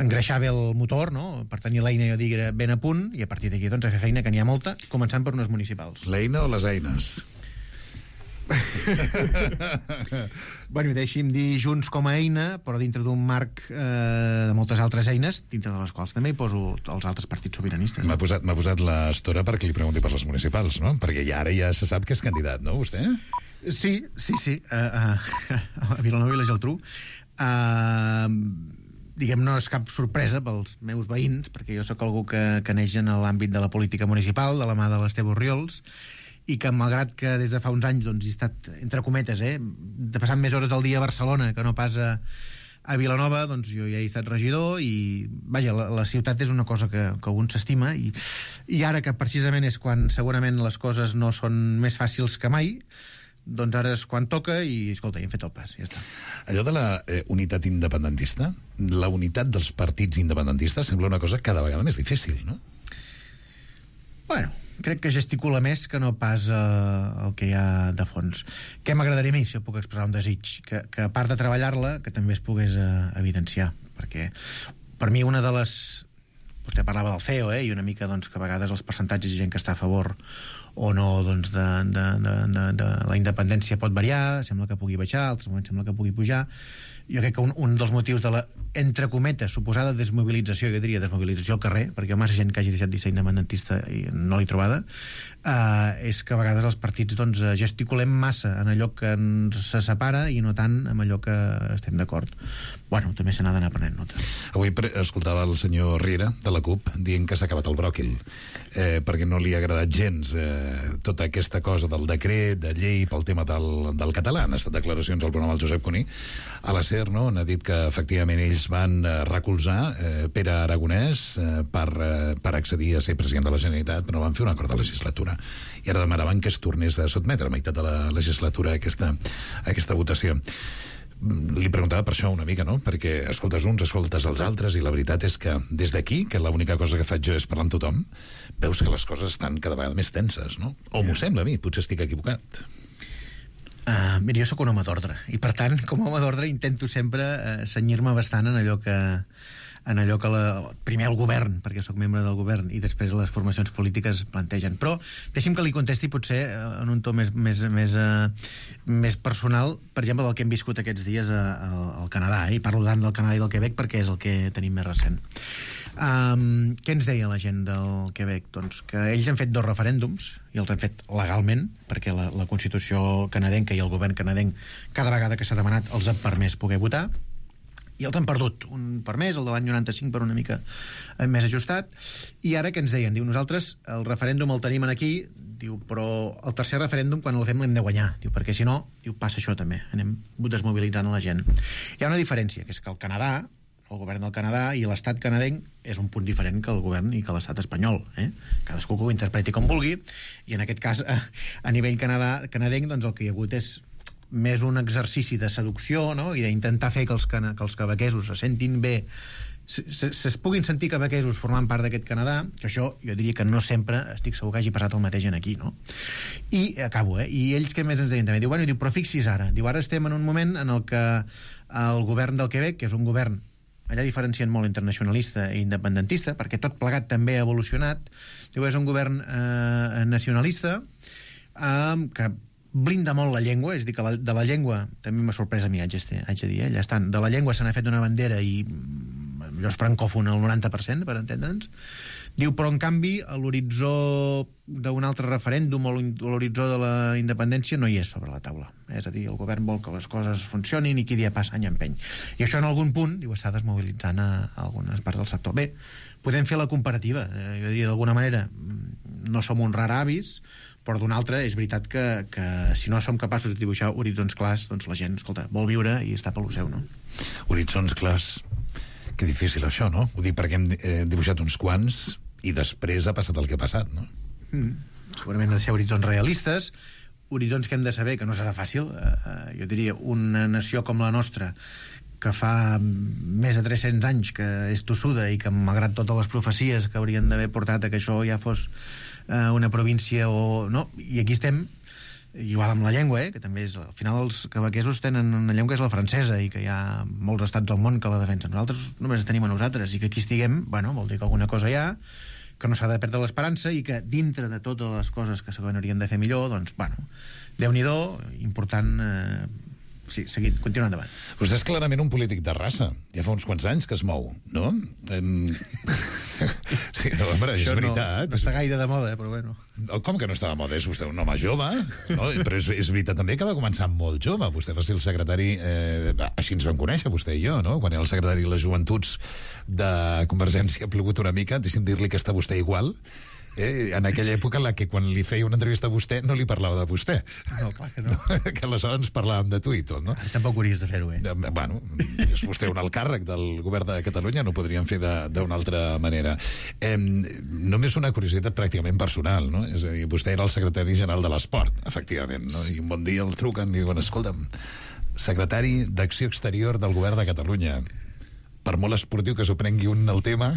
engreixar bé el motor, no? Per tenir l'eina, jo diria, ben a punt, i a partir d'aquí doncs, a fer feina, que n'hi ha molta, començant per unes municipals. L'eina o les eines? Bueno, deixi'm dir Junts com a eina, però dintre d'un marc de moltes altres eines, dintre de les quals també hi poso els altres partits sobiranistes. M'ha posat l'estora perquè li pregunti per les municipals, no? Perquè ara ja se sap que és candidat, no, vostè? Sí. A Vilanova i la Geltrú. Diguem, no és cap sorpresa pels meus veïns, perquè jo sóc algú que neix en l'àmbit de la política municipal, de la mà de l'Esteve Orriols, i que malgrat que des de fa uns anys doncs, he estat, entre cometes, de passar més hores del dia a Barcelona que no pas a Vilanova, doncs jo ja he estat regidor i, vaja, la ciutat és una cosa que un s'estima i ara que precisament és quan segurament les coses no són més fàcils que mai, doncs ara és quan toca i, escolta, ja hem fet el pas, ja està. Allò de la unitat independentista, la unitat dels partits independentistes sembla una cosa cada vegada més difícil, no? Bueno, crec que gesticula més que no pas el que hi ha de fons. Què m'agradaria a mi, si jo puc expressar un desig? Que a part de treballar-la, que també es pogués evidenciar. Perquè per mi una de les... Vostè parlava del CEO, i una mica doncs, que a vegades els percentatges de gent que està a favor o no doncs, de la independència pot variar, sembla que pugui baixar, altres moments sembla que pugui pujar. Jo crec que un dels motius de la, entre cometes, suposada desmobilització, jo diria desmobilització al carrer, perquè hi ha massa gent que hagi deixat de ser independentista i no l'he trobada, és que a vegades els partits doncs, gesticulem massa en allò que ens se separa i no tant en allò que estem d'acord. Bueno, també se n'ha d'anar prenent nota. Avui escoltava el senyor Riera, de la CUP, dient que s'ha acabat el bròquil, perquè no li ha agradat gens tota aquesta cosa del decret, de llei, pel tema del català. Han estat declaracions al programa del Josep Cuní. A la SER, no?, han dit que efectivament ells van recolzar Pere Aragonès per accedir a ser president de la Generalitat, però van fer un acord de legislatura. I ara demanaven que es tornés a sotmetre a meitat de la legislatura a aquesta votació. Li preguntava per això una mica, no? Perquè escoltes uns, escoltes els altres, i la veritat és que des d'aquí, que l'única cosa que faig jo és parlar amb tothom, veus que les coses estan cada vegada més tenses, no? O m'ho sembla a mi, potser estic equivocat. Mira, jo sóc un home d'ordre, i per tant, com a home d'ordre intento sempre cenyir-me bastant en allò que primer el govern, perquè sóc membre del govern, i després les formacions polítiques plantegen. Però deixi'm que li contesti potser en un to més personal, per exemple, del que hem viscut aquests dies al Canadà, i parlo tant del Canadà i del Quebec perquè és el que tenim més recent. Què ens deia la gent del Quebec? Doncs que ells han fet 2 referèndums i els han fet legalment, perquè la Constitució canadenca i el govern canadenc cada vegada que s'ha demanat els ha permès poder votar, i els han perdut, un per més, el de l'any 95 per una mica més ajustat, i ara què ens deien? Diu, nosaltres el referèndum el tenim aquí, diu, però el tercer referèndum quan el fem l'hem de guanyar, diu, perquè si no, diu, passa això també, anem desmobilitzant la gent. Hi ha una diferència, que és que el Canadà, el govern del Canadà i l'estat canadenc és un punt diferent que el govern i que l'estat espanyol, cadascú que ho interpreti com vulgui, i en aquest cas a nivell canadenc doncs el que hi ha hagut és més un exercici de seducció, no?, i d'intentar fer que els quebequesos se sentin bé, es puguin sentir quebequesos formant part d'aquest Canadà, que això jo diria que no sempre estic segur que hagi passat el mateix aquí, no? I acabo, i ells què més ens deien també? Diu, bueno, però fixis ara, diu, ara estem en un moment en el que el govern del Quebec, que és un govern, allà diferencien molt entre nacionalista i independentista, perquè tot plegat també ha evolucionat, diu, és un govern nacionalista que blinda molt la llengua, és a dir, que de la llengua també m'ha sorprès a mi, haig de dir, allà estan, de la llengua se n'ha fet una bandera i allò és francòfon al 90%, per entendre'ns. Diu, però en canvi l'horitzó d'un altre referèndum o l'horitzó de la independència no hi és sobre la taula. És a dir, el govern vol que les coses funcionin i qui dia passa any empeny. I això en algun punt, diu, està desmobilitzant a algunes parts del sector. Bé, podem fer la comparativa, jo diria d'alguna manera, no som uns raravis, però d'una altra és veritat que si no som capaços de dibuixar horitzons clars, doncs la gent, escolta, vol viure i està pel seu, no? Horitzons clars. Que difícil això, no? Ho dic perquè hem dibuixat uns quants i després ha passat el que ha passat, no? Segurament han de ser horitzons realistes, horitzons que hem de saber que no serà fàcil. Jo diria, una nació com la nostra, que fa més de 300 anys que és tossuda i que, malgrat totes les profecies que haurien d'haver portat a que això ja fos una província o... no, i aquí estem, igual amb la llengua, que també és... Al final els quebequesos tenen una llengua que és la francesa i que hi ha molts estats del món que la defensen. Nosaltres només tenim a nosaltres, i que aquí estiguem, bueno, vol dir que alguna cosa hi ha, que no s'ha de perdre l'esperança i que dintre de totes les coses que segurament hauríem de fer millor, doncs, bueno, Déu-n'hi-do, important... Sí, seguint, continua endavant. Vostè és clarament un polític de raça. Ja fa uns quants anys que es mou, no? Sí, no, home, és veritat. No està gaire de moda, però bueno. Com que no està de moda? És vostè un home jove, no? Però és veritat també que va començar molt jove. Vostè va ser el secretari... així ens vam conèixer, vostè i jo, no? Quan era el secretari de les Joventuts de Convergència, ha plogut una mica. Deixi'm dir-li que està vostè igual. En aquella època en la que quan li feia una entrevista a vostè no li parlava de vostè. No, clar que no. Que aleshores parlàvem de tu i tot, no? Tampoc hauries de fer-ho, Bueno, és vostè un alt càrrec del govern de Catalunya, no ho podríem fer d'una altra manera. Només una curiositat pràcticament personal, no? És a dir, vostè era el secretari general de l'Esport, efectivament, no? I un bon dia el truquen i diuen, escolta'm, secretari d'Acció Exterior del govern de Catalunya, per molt esportiu que s'ho prengui un el tema,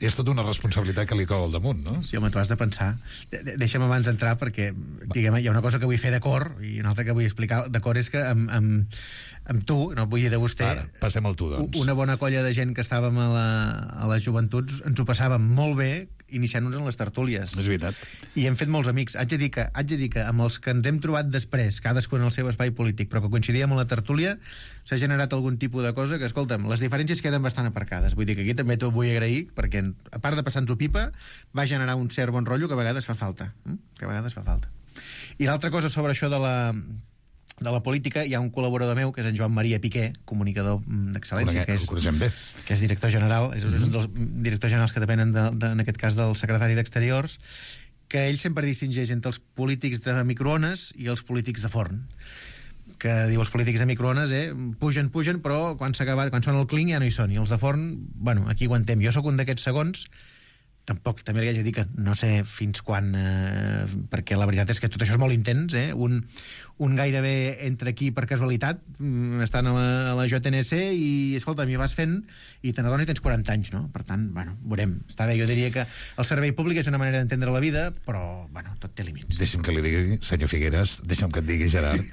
és tota una responsabilitat que li cau al damunt, no? Sí, home, tu has de pensar. Deixa'm abans d'entrar, perquè diguem, hi ha una cosa que vull fer d'acord i una altra que vull explicar d'acord és que amb tu, no vull dir de vostè... Ara, passem al tu, doncs. Una bona colla de gent que estàvem a les joventuts ens ho passàvem molt bé iniciant-nos en les tertúlies. És veritat. I hem fet molts amics. Haig de dir que amb els que ens hem trobat després, cadascun en el seu espai polític, però que coincidíem en la tertúlia, s'ha generat algun tipus de cosa que, escolta'm, les diferències queden bastant aparcades. Vull dir que aquí també t'ho vull agrair, perquè a part de passar-nos-ho pipa, va generar un cert bon rotllo que a vegades fa falta. I l'altra cosa sobre això de la política, hi ha un col·laborador meu, que és en Joan Maria Piqué, comunicador d'excel·lència, que és director general, és un dels directors generals que depenen, en aquest cas, del secretari d'Exteriors, que ell sempre distingeix entre els polítics de microones i els polítics de forn. Que diu, els polítics de microones, pugen, però quan sona el clink ja no hi són, i els de forn, bueno, aquí aguantem. Jo sóc un d'aquests segons, tampoc, també li haig de dir que no sé fins quan, perquè la veritat és que tot això és molt intens, un gairebé entre aquí per casualitat, estan a la JNC i, escolta, m'hi vas fent i te n'adones i tens 40 anys, no? Per tant, bueno, veurem. Està bé, jo diria que el servei públic és una manera d'entendre la vida, però, bueno, tot té límits. Deixa'm que li digui, senyor Figueres, deixa'm que et digui, Gerard,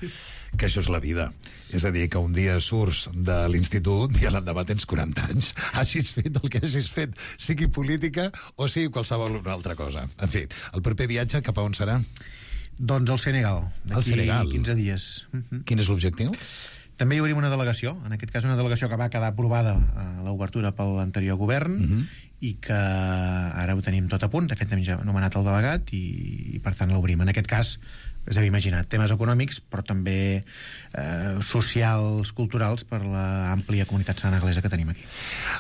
que això és la vida. És a dir, que un dia surts de l'institut i a l'endemà tens 40 anys. Hagis fet el que hagis fet, sigui política o sigui qualsevol una altra cosa. En fi, el proper viatge cap a on serà? Doncs al Senegal. D'aquí 15 dies. Quin és l'objectiu? També hi obrim una delegació, en aquest cas una delegació que va quedar aprovada a l'obertura pel anterior govern i que ara ho tenim tot a punt. De fet, hem ja nomenat el delegat i per tant l'obrim. En aquest cas, és a dir, imagina't, temes econòmics, però també socials, culturals, per l'àmplia comunitat senegalesa que tenim aquí.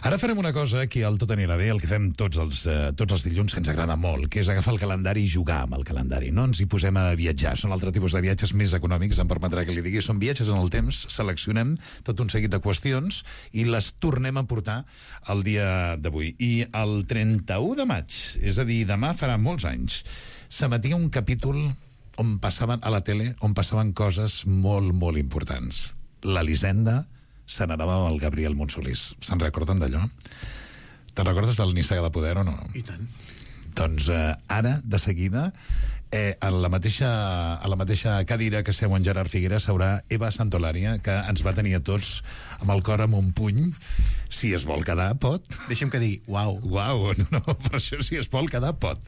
Ara farem una cosa que al Tot anirà bé, el que fem tots els dilluns, que ens agrada molt, que és agafar el calendari i jugar amb el calendari. No ens hi posem a viatjar. Són altre tipus de viatges més econòmics, em permetrà que li digui. Són viatges en el temps, seleccionem tot un seguit de qüestions i les tornem a portar al dia d'avui. I el 31 de maig, és a dir, demà farà molts anys, s'emetia un capítol on passaven a la tele, on passaven coses molt, molt importants. L'Elisenda se n'anava amb el Gabriel Montsolís. Se'n recorden d'allò? Te'n recordes del Nissaga de Poder o no? I tant. Doncs ara, de seguida, a la mateixa cadira que seu en Gerard Figueres s'haurà Eva Santolària, que ens va tenir a tots amb el cor amb un puny. Si es vol quedar, pot. Deixa'm que digui, uau. Uau, no, per això si es vol quedar, pot.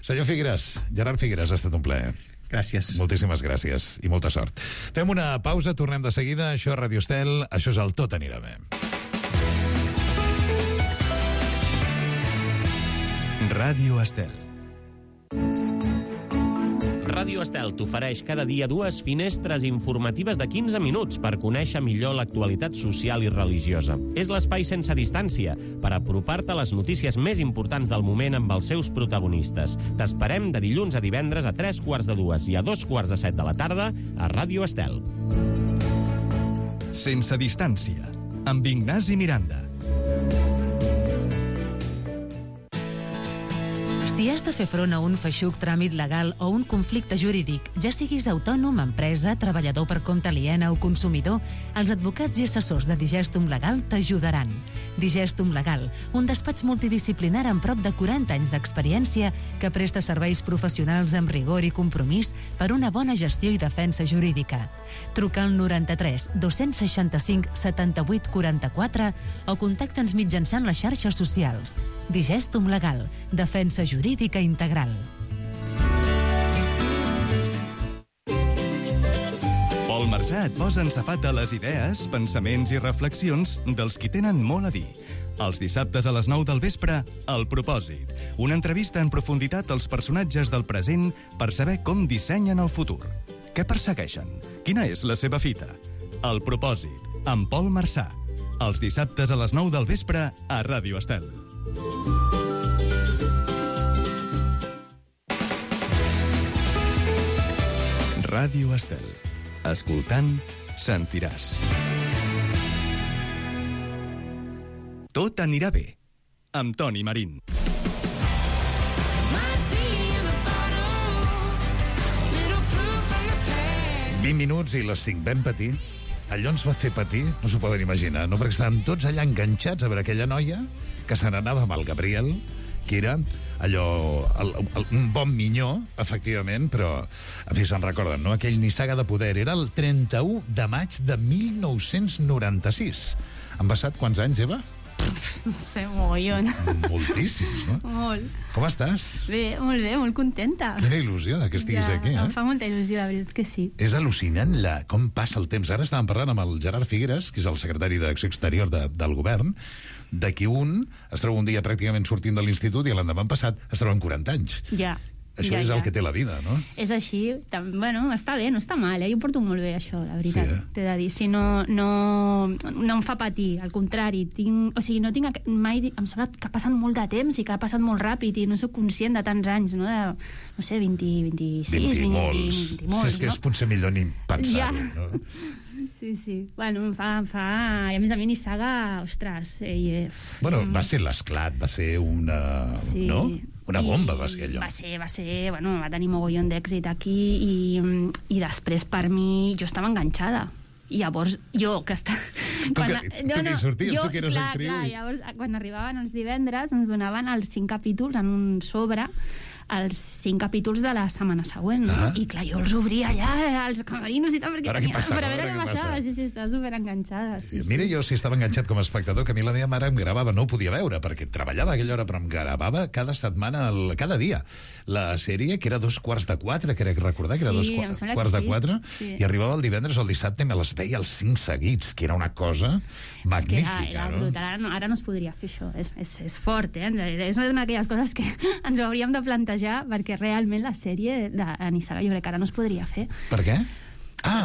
Senyor Figueres, Gerard Figueres, ha estat un plaer. Gràcies. Moltíssimes gràcies i molta sort. Fem una pausa, tornem de seguida. Això és Radio Estel, això és el Tot anirà bé. Ràdio Estel. Ràdio Estel t'ofereix cada dia 2 finestres informatives de 15 minuts per conèixer millor l'actualitat social i religiosa. És l'espai sense distància per apropar-te a les notícies més importants del moment amb els seus protagonistes. T'esperem de dilluns a divendres a 3:45 i a 2:45 de la tarda a Ràdio Estel. Sense distància, amb Ignasi Miranda. Si has de fer front a un feixuc tràmit legal o un conflicte jurídic, ja siguis autònom, empresa, treballador per compte aliena o consumidor, els advocats i assessors de Digestum Legal t'ajudaran. Digestum Legal, un despatx multidisciplinar amb prop de 40 anys d'experiència que presta serveis professionals amb rigor i compromís per una bona gestió i defensa jurídica. Truca al 93 265 78 44 o contacta'ns mitjançant les xarxes socials. Digestum Legal, defensa jurídica integral. Pol Marsà et posa en safata les idees, pensaments i reflexions dels qui tenen molt a dir. Els dissabtes a les 9 del vespre, El Propòsit. Una entrevista en profunditat als personatges del present per saber com dissenyen el futur. Què persegueixen? Quina és la seva fita? El Propòsit, amb Pol Marsà. Els dissabtes a les 9 del vespre a Ràdio Estel. Ràdio Estel. Escoltant, sentiràs. Tot anirà bé, amb Toni Marín. Minuts i les 5 vam patir. Allò ens va fer patir, no s'ho poden imaginar, no? Perquè estàvem tots allà enganxats a veure aquella noia que se n'anava amb el Gabriel, que era allò, un bon minyó, efectivament, però, en fi, se'n recorden, no? Aquell Nissaga de poder. Era el 31 de maig de 1996. Han passat quants anys, Eva? No sé, mogollon. Moltíssims, no? Molt. Com estàs? Bé, molt contenta. Quina il·lusió que estiguis aquí, eh? Em fa molta il·lusió, la veritat que sí. És al·lucinant com passa el temps. Ara estàvem parlant amb el Gerard Figueres, que és el secretari d'Acció Exterior del govern, de qui un es troba un dia pràcticament sortint de l'institut i l'endemà passat es troba amb 40 anys. Ja. Això és el que té la vida, no? És així. Bueno, està bé, no està mal, Jo ho porto molt bé, això, la veritat. Sí, T'he de dir. Si no em fa patir, al contrari. No tinc mai... Em sembla que passen molt de temps i que ha passat molt ràpid i no soc conscient de tants anys, no? No sé, 26, 20 molts, és que és potser millor ni pensar-ho, no? Sí. Bueno, em fa... I a més a mi Nissaga, ostres... Bueno, va ser l'esclat, va ser una... Sí. No? Una bomba va ser allò. Va ser, bueno, va tenir mogollon d'èxit aquí i després per mi jo estava enganxada. I llavors jo, que està... Tu que hi sorties, tu que eres actriu. Clar, llavors quan arribaven els divendres ens donaven els 5 capítols en un sobre, els 5 capítols de la setmana següent, no? I clar, jo els obria allà als camerinos i tal, perquè ara què passa? per a veure què passava. Sí, estava superenganxada. Sí. Mira, jo si estava enganxat com a espectador, que a mi la meva mare em gravava, no ho podia veure, perquè treballava a aquella hora, però em gravava cada setmana, cada dia, la sèrie, que era 3:45, crec recordar, que era 3:45, i arribava el divendres o el dissabte i me les veia els 5 seguits, que era una cosa magnífica. És que era brutal, ara no es podria fer això, és fort, És una d'aquelles coses que ens hauríem de plantejar perquè realment la sèrie de Nissaga jo crec que ara no es podria fer. Per què?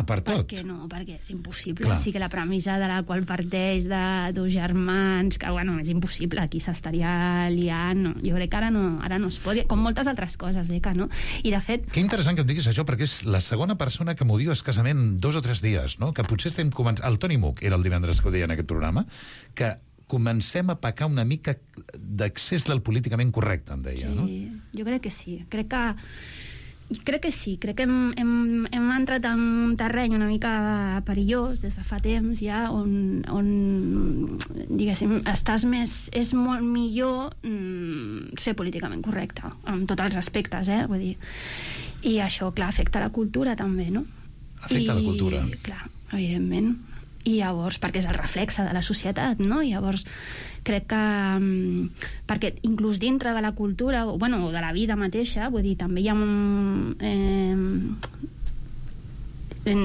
Per tot. Perquè és impossible. Clar. Sí que la premissa de la qual parteix de dos germans, que bueno, és impossible, aquí s'estaria liant, no. Jo crec que ara no es pot, com moltes altres coses, que no? I de fet... Que interessant que em diguis això, perquè és la segona persona que m'ho diu escassament 2 o 3 dies, no? Que potser estem començant... El Toni Muc era el divendres que ho deia en aquest programa, que comencem a pecar una mica d'accés del políticament correcte, em deia, no? Sí, jo crec que sí. Crec que sí. Crec que hem entrat en un terreny una mica perillós des de fa temps ja, on diguéssim, és molt millor ser políticament correcte, en tots els aspectes, vull dir. I això, clar, afecta la cultura també, no? Afecta la cultura. Clar, evidentment. I llavors, perquè és el reflexe de la societat, no? I llavors crec que perquè inclús dintre de la cultura o de la vida mateixa, vull dir, també hi ha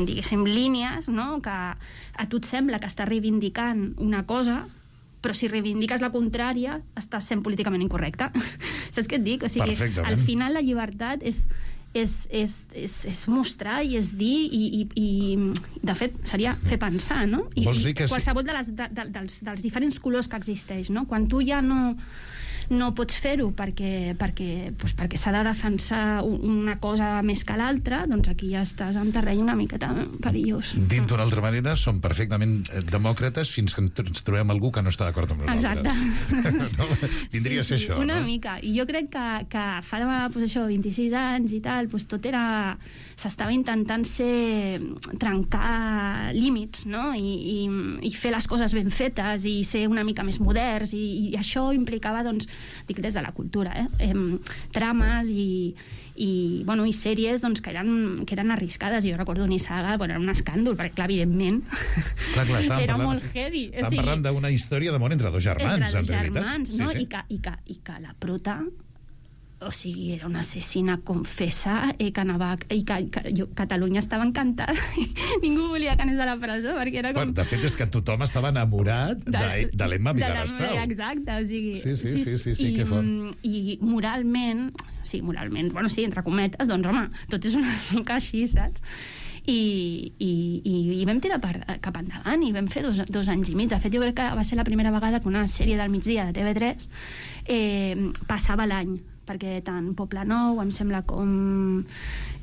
diguéssim línies, no? Que a tu et sembla que estàs reivindicant una cosa, però si reivindiques la contrària estàs sent políticament incorrecte. Saps què et dic? O sigui, al final la llibertat és és mostrar i és dir i de fet, seria fer pensar, no? I qualsevol dels diferents colors que existeix, no? Quan tu ja no pots fer-ho perquè s'ha de defensar una cosa més que l'altra, doncs aquí ja estàs en terreny una miqueta perillós. Dit d'una altra manera, som perfectament demòcrates fins que ens trobem algú que no està d'acord amb nosaltres. Exacte. No? Vindria a ser això, una no? mica. I jo crec que fa 26 anys i tal, tot era... S'estava intentant trencar límits, no? I fer les coses ben fetes i ser una mica més moderns, i això implicava, doncs, dic des de la cultura, trames i sèries, doncs, que eren arriscades. Jo recordo Nissaga, era un escàndol, perquè, clar, evidentment, era molt heavy. Estàvem parlant d'una història d'amor entre dos germans, en realitat. No? I que la prota... O sigui, era una assassina confessa que Catalunya estava encantada i ningú volia que anés a la presó perquè era com... De fet, és que tothom estava enamorat de l'Emma Vilagrasau. Exacte, o sigui... Sí, que fort. I moralment, bueno, sí, entre cometes, doncs, home, tot és una mica així, saps? I vam tirar cap endavant i vam fer 2 anys i mig. De fet, jo crec que va ser la primera vegada que una sèrie del migdia de TV3 passava l'any, perquè tant Poble Nou, em sembla com...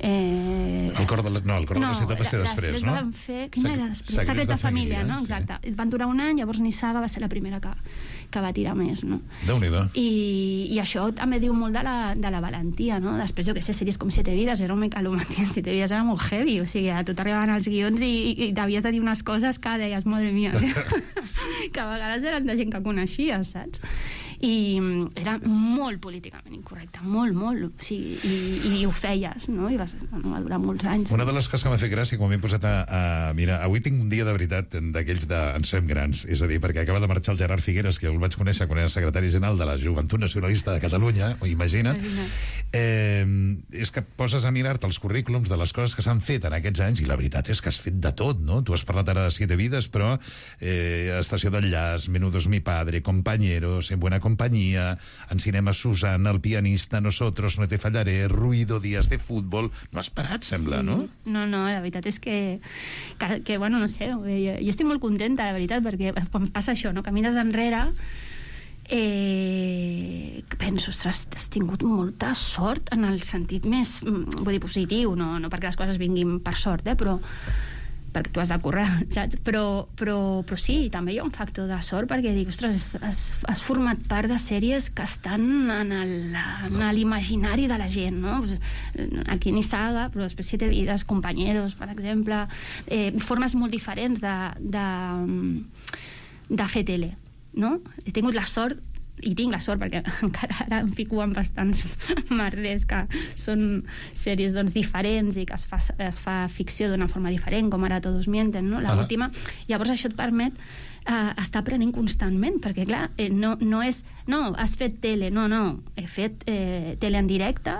El cor de la ciutat va ser després, no? Van fer... Quina era després? Secrets de família, no? Exacte. Van durar un any, llavors Nissaga va ser la primera que va tirar més, no? Déu-n'hi-do. I això també diu molt de la valentia, no? Després, jo què sé, sèries com 7 vides, era un mica el mateix, 7 vides era molt heavy, o sigui, a tu t'arribaven els guions i t'havies de dir unes coses que deies, madre mia, que a vegades eren de gent que coneixies, saps? I era molt políticament incorrecte, molt, o sigui, i ho feies, no? I va durar molts anys. Una de les coses que m'ha fet gràcia quan m'he posat a mirar, avui tinc un dia de veritat d'aquells de ens fem grans, és a dir, perquè acaba de marxar el Gerard Figueres, que el vaig conèixer quan era secretari general de la Joventut Nacionalista de Catalunya, imagina't. És que poses a mirar-te els currículums de les coses que s'han fet en aquests anys i la veritat és que has fet de tot, no? Tu has parlat ara de 7 vides, però Estació d'enllaç, Menudos mi padre, Compañeros, En buena compañía, en cinema Susana, El pianista, Nosotros, No te fallaré, Ruido, Días de fútbol... No has parat, sembla, no? No, la veritat és que bueno, no sé, jo estic molt contenta, de veritat, perquè quan passa això, no? Camines enrere, penso, ostres, has tingut molta sort en el sentit més, vull dir, positiu, no perquè les coses vinguin per sort, però perquè tu has de córrer, saps? Però sí, també hi ha un factor de sort, perquè dic, ostres, has format part de sèries que estan en l'imaginari de la gent, no? Aquí Nissaga, però després 7 vides, Compañeros, per exemple, formes molt diferents de fer tele, no? He tingut la sort, i tinc la sort perquè encara ara em fico en bastants merders que són sèries, doncs, diferents i que es fa ficció d'una forma diferent, com ara Todos mienten, no? L'última. Llavors això et permet estar aprenent constantment, perquè clar, no és has fet tele, no, he fet tele en directe,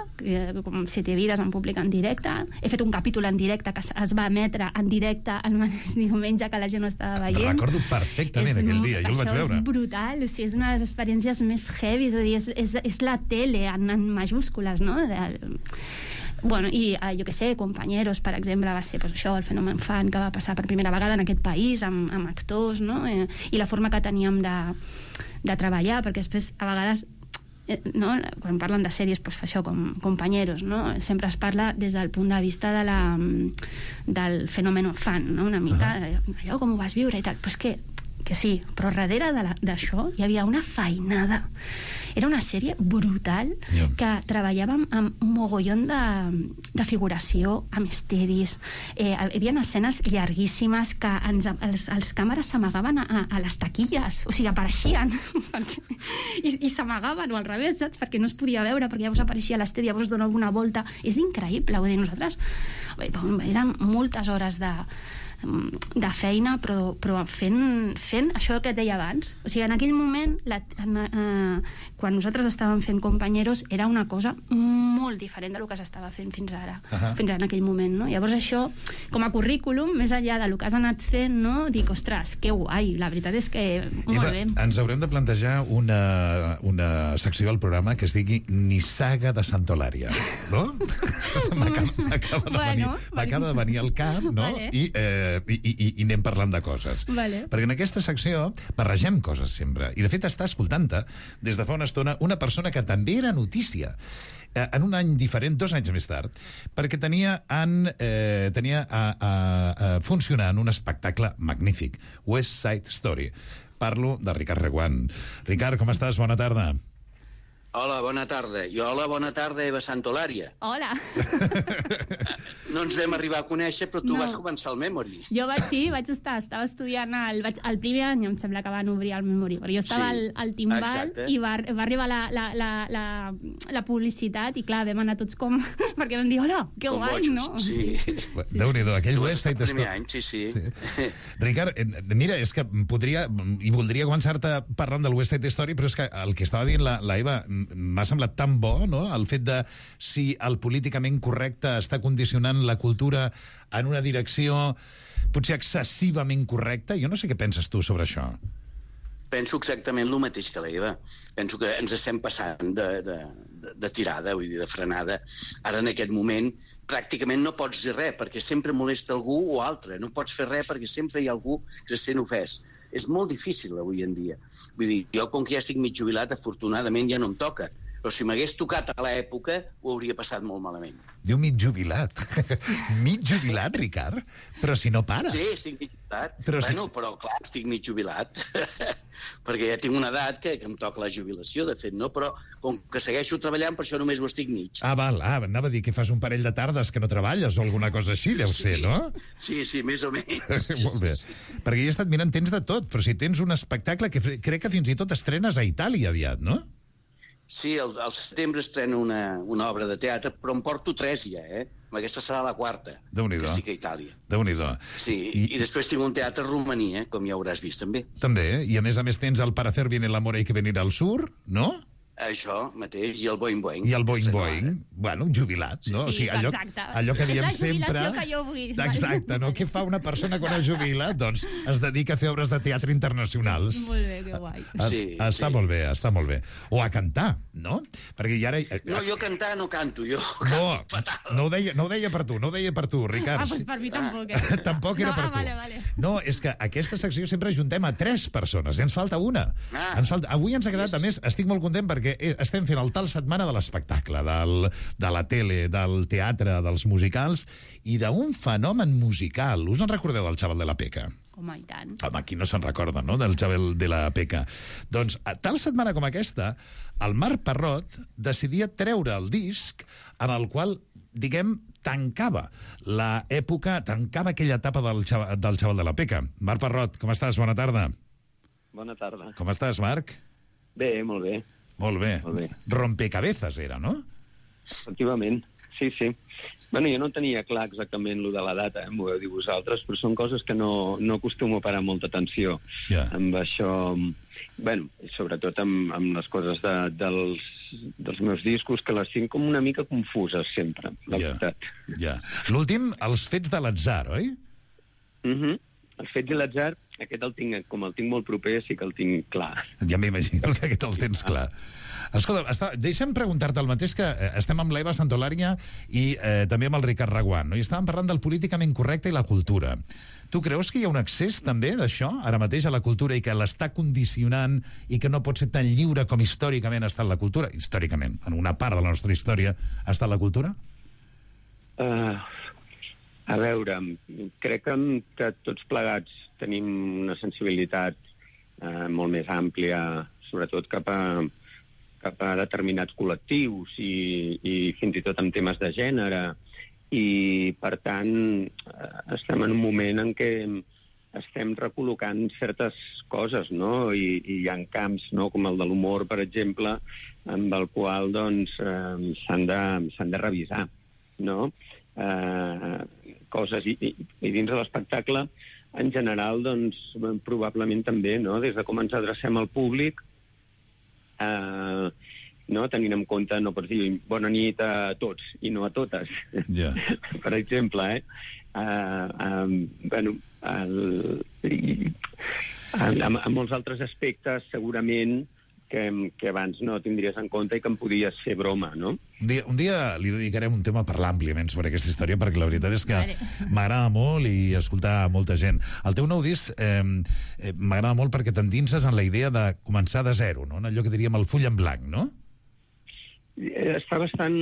com 7 vides en públic en directe, he fet un capítol en directe que es va emetre en directe el mateix diumenge que la gent no estava veient. Recordo perfectament aquell dia, jo el vaig veure. Això és brutal, o sigui, és una de les experiències més heavy, és a dir, és la tele en majúscules, no? Bueno, i jo què sé, Compañeros, per exemple, va ser això, el fenomen fan que va passar per primera vegada en aquest país amb actors, no? I la forma que teníem de treballar, perquè després a vegades no? Quan parlen de sèries, doncs això, com Compañeros, no? Sempre es parla des del punt de vista del fenomen fan, no? Una mica allò com ho vas viure i tal, però és que sí, però darrere d'això hi havia una feinada. Era una sèrie brutal que treballàvem amb un mogollon de figuració, amb estedis. Hi havia escenes llarguíssimes que els càmeres s'amagaven a les taquilles, o sigui, apareixien i s'amagaven, o al revés, saps? Perquè no es podia veure, perquè llavors apareixia l'estedi, llavors donava una volta. És increïble, vull dir, nosaltres eren moltes hores de feina, però fent això que et deia abans. O sigui, en aquell moment, quan nosaltres estàvem fent Companyeros, era una cosa molt diferent del que s'estava fent fins ara, fins en aquell moment, no? Llavors això, com a currículum, més enllà del que has anat fent, no? Dic, ostres, que guai, la veritat és que molt bé. Ens haurem de plantejar una secció al programa que es digui Nissaga de Santolària, no? M'acaba de venir al cap, no? I anem parlant de coses. Perquè en aquesta secció barregem coses sempre. I de fet està escoltant-te des de fa una estona una persona que també era notícia en un any diferent, 2 anys més tard, perquè tenia funcionant un espectacle magnífic, West Side Story. Parlo de Ricard Reguant. Ricard, com estàs? Bona tarda. Hola, bona tarda. I hola, bona tarda, Eva Santolària. Hola. No ens vam arribar a conèixer, però tu vas començar el Memory. Jo vaig estar, estava estudiant el primer any, em sembla que van obrir el Memory, però jo estava al timbal i va arribar la publicitat i clar, vam anar tots com... perquè vam dir, hola, que guai, no? Sí. Déu-n'hi-do, aquell West Side Story. El primer any, sí. Ricard, mira, és que podria, i voldria començar-te parlant del West Side Story, però és que el que estava dient la Eva m'ha semblat tan bo, no?, el fet de si el políticament correcte està condicionant la cultura en una direcció potser excessivament correcta. Jo no sé què penses tu sobre això. Penso exactament el mateix que l'Eva. Penso que ens estem passant de tirada, vull dir, de frenada. Ara, en aquest moment, pràcticament no pots dir res, perquè sempre molesta algú o altre. No pots fer res perquè sempre hi ha algú que se sent ofès. És molt difícil avui en dia. Vull dir, jo com que ja estic mig jubilat, afortunadament ja no em toca. Però si m'hagués tocat a l'època, ho hauria passat molt malament. Diu mig jubilat. Mig jubilat, Ricard? Però si no pares. Sí, estic mig jubilat. Però clar, estic mig jubilat. Perquè ja tinc una edat que em toca la jubilació, de fet, no? Però com que segueixo treballant, per això només ho estic mig. Anava a dir que fas un parell de tardes que no treballes o alguna cosa així, deu ser, no? Sí, més o menys. Molt bé. Perquè jo he estat mirant, tens de tot, però si tens un espectacle que crec que fins i tot estrenes a Itàlia aviat, no? Sí, al setembre estreno una obra de teatre, però em porto 3 ja, Aquesta serà la 4, que estic a Itàlia. Déu-n'hi-do. Sí, i després tinc un teatre a Romania, com ja hauràs vist també. També, i a més tens el Para hacer bien el amor hay que venir al sur, no? Això mateix, i el Boing Boing. I el Boing Boing, bueno, jubilat, no? Sí, o sigui, allò que diem sempre... És la jubilació que jo vull. Exacte, no? Què fa una persona quan es jubila? Doncs es dedica a fer obres de teatre internacionals. Molt bé, que guai. Està molt bé, està molt bé. O a cantar, no? Perquè ara... No, jo cantar no canto, jo canto fatal. No ho deia per tu, Ricard. Doncs per mi tampoc, Tampoc era per tu. Vale. No, és que aquesta secció sempre ajuntem a 3 persones, i ens falta una. Avui ens ha quedat, a més, estic molt content perquè estem fent el tal setmana de l'espectacle, de la tele, del teatre, dels musicals i d'un fenomen musical. Us en recordeu del Xaval de la Peca? Home, i tant. Home, qui no se'n recorda, no?, del Xaval de la Peca. Doncs, a tal setmana com aquesta, el Marc Parrot decidia treure el disc en el qual, diguem, tancava aquella etapa del Xaval de la Peca. Marc Parrot, com estàs? Bona tarda. Bona tarda. Com estàs, Marc? Bé, molt bé. Molt bé. Rompecabezas era, no? Efectivament, sí. Bueno, jo no tenia clar exactament lo de la data, m'ho heu dit vosaltres, però són coses que no acostumo a parar molta atenció amb això. Bueno, sobretot amb les coses dels meus discos, que les tinc com una mica confuses sempre, la veritat. L'últim, Els fets de l'atzar, oi? Els fets de l'atzar, aquest el tinc molt proper, sí que el tinc clar. Ja m'imagino que aquest el tens clar. Escolta, deixa'm preguntar-te el mateix, que estem amb l'Eva Santolària i també amb el Ricard Reguant, no? I estàvem parlant del políticament correcte i la cultura. Tu creus que hi ha un accés també d'això ara mateix a la cultura i que l'està condicionant i que no pot ser tan lliure com històricament ha estat la cultura? Històricament, en una part de la nostra història ha estat la cultura? A veure, crec que tots plegats tenim una sensibilitat molt més àmplia, sobretot cap a determinats col·lectius i fins i tot en temes de gènere, i per tant estem en un moment en què estem recol·locant certes coses, no? I hi ha camps, no?, com el de l'humor, per exemple, amb el qual s'han de revisar, no? coses. I dins de l'espectacle, en general, doncs, probablement també, no? Des de com ens adrecem al públic, no? Tenint en compte, no pots dir bona nit a tots i no a totes. Yeah. Per exemple, bueno, en molts altres aspectes, segurament, que abans no tindries en compte i que em podies fer broma, no? Un dia li dedicarem un tema a parlar àmpliament sobre aquesta història, perquè la veritat és que m'agrada molt i escoltar molta gent. El teu nou disc m'agrada molt perquè t'endinses en la idea de començar de zero, no? En allò que diríem el full en blanc, no? Està bastant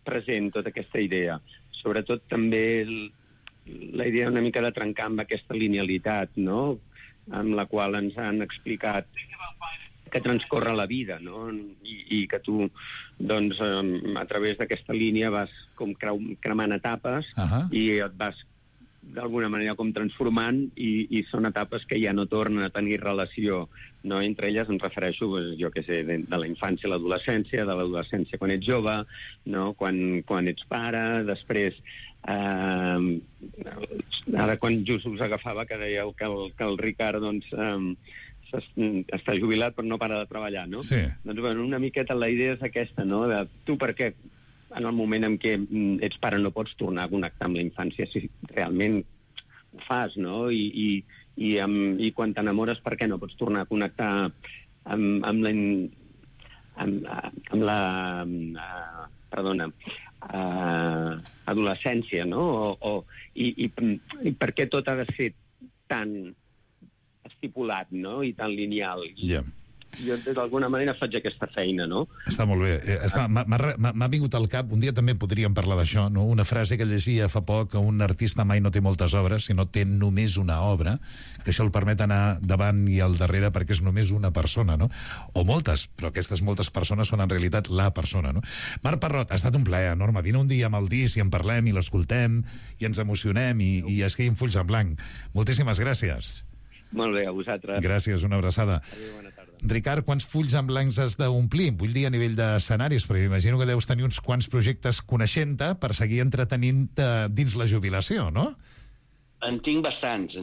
present tota aquesta idea. Sobretot també la idea una mica de trencar amb aquesta linealitat, no? Amb la qual ens han explicat que transcorre la vida, no? I que tu, doncs, a través d'aquesta línia vas com cremant etapes i et vas d'alguna manera com transformant i són etapes que ja no tornen a tenir relació, no? Entre elles em refereixo, jo què sé, de la infància a l'adolescència, de l'adolescència quan ets jove, no? Quan ets pare, després ara quan just us agafava que dèieu que el Ricard, doncs, està jubilat però no para de treballar, no? Sí. Doncs, bueno, una miqueta la idea és aquesta, no? De tu per què en el moment en què ets pare no pots tornar a connectar amb la infància si realment ho fas, no? I quan t'enamores, per què no pots tornar a connectar amb la adolescència, no? I per què tot ha de ser tan estipulat, no? I tan lineal. Yeah. Jo, d'alguna manera, faig aquesta feina, no? Està molt bé. M'ha vingut al cap, un dia també podríem parlar d'això, no? Una frase que llegia fa poc, que un artista mai no té moltes obres, sinó té només una obra, que això el permet anar davant i al darrere perquè és només una persona, no? O moltes, però aquestes moltes persones són en realitat la persona, no? Marc Parrot, ha estat un plaer enorme. Vine un dia amb el disc i en parlem i l'escoltem i ens emocionem i escrivim fulls en blanc. Moltíssimes gràcies. Molt bé, a vosaltres. Gràcies, una abraçada. Adéu, bona tarda. Ricard, quants fulls en blancs has d'omplir? Vull dir a nivell d'escenaris, però imagino que deus tenir uns quants projectes coneixent-te per seguir entretenint-te dins la jubilació, no? En tinc bastants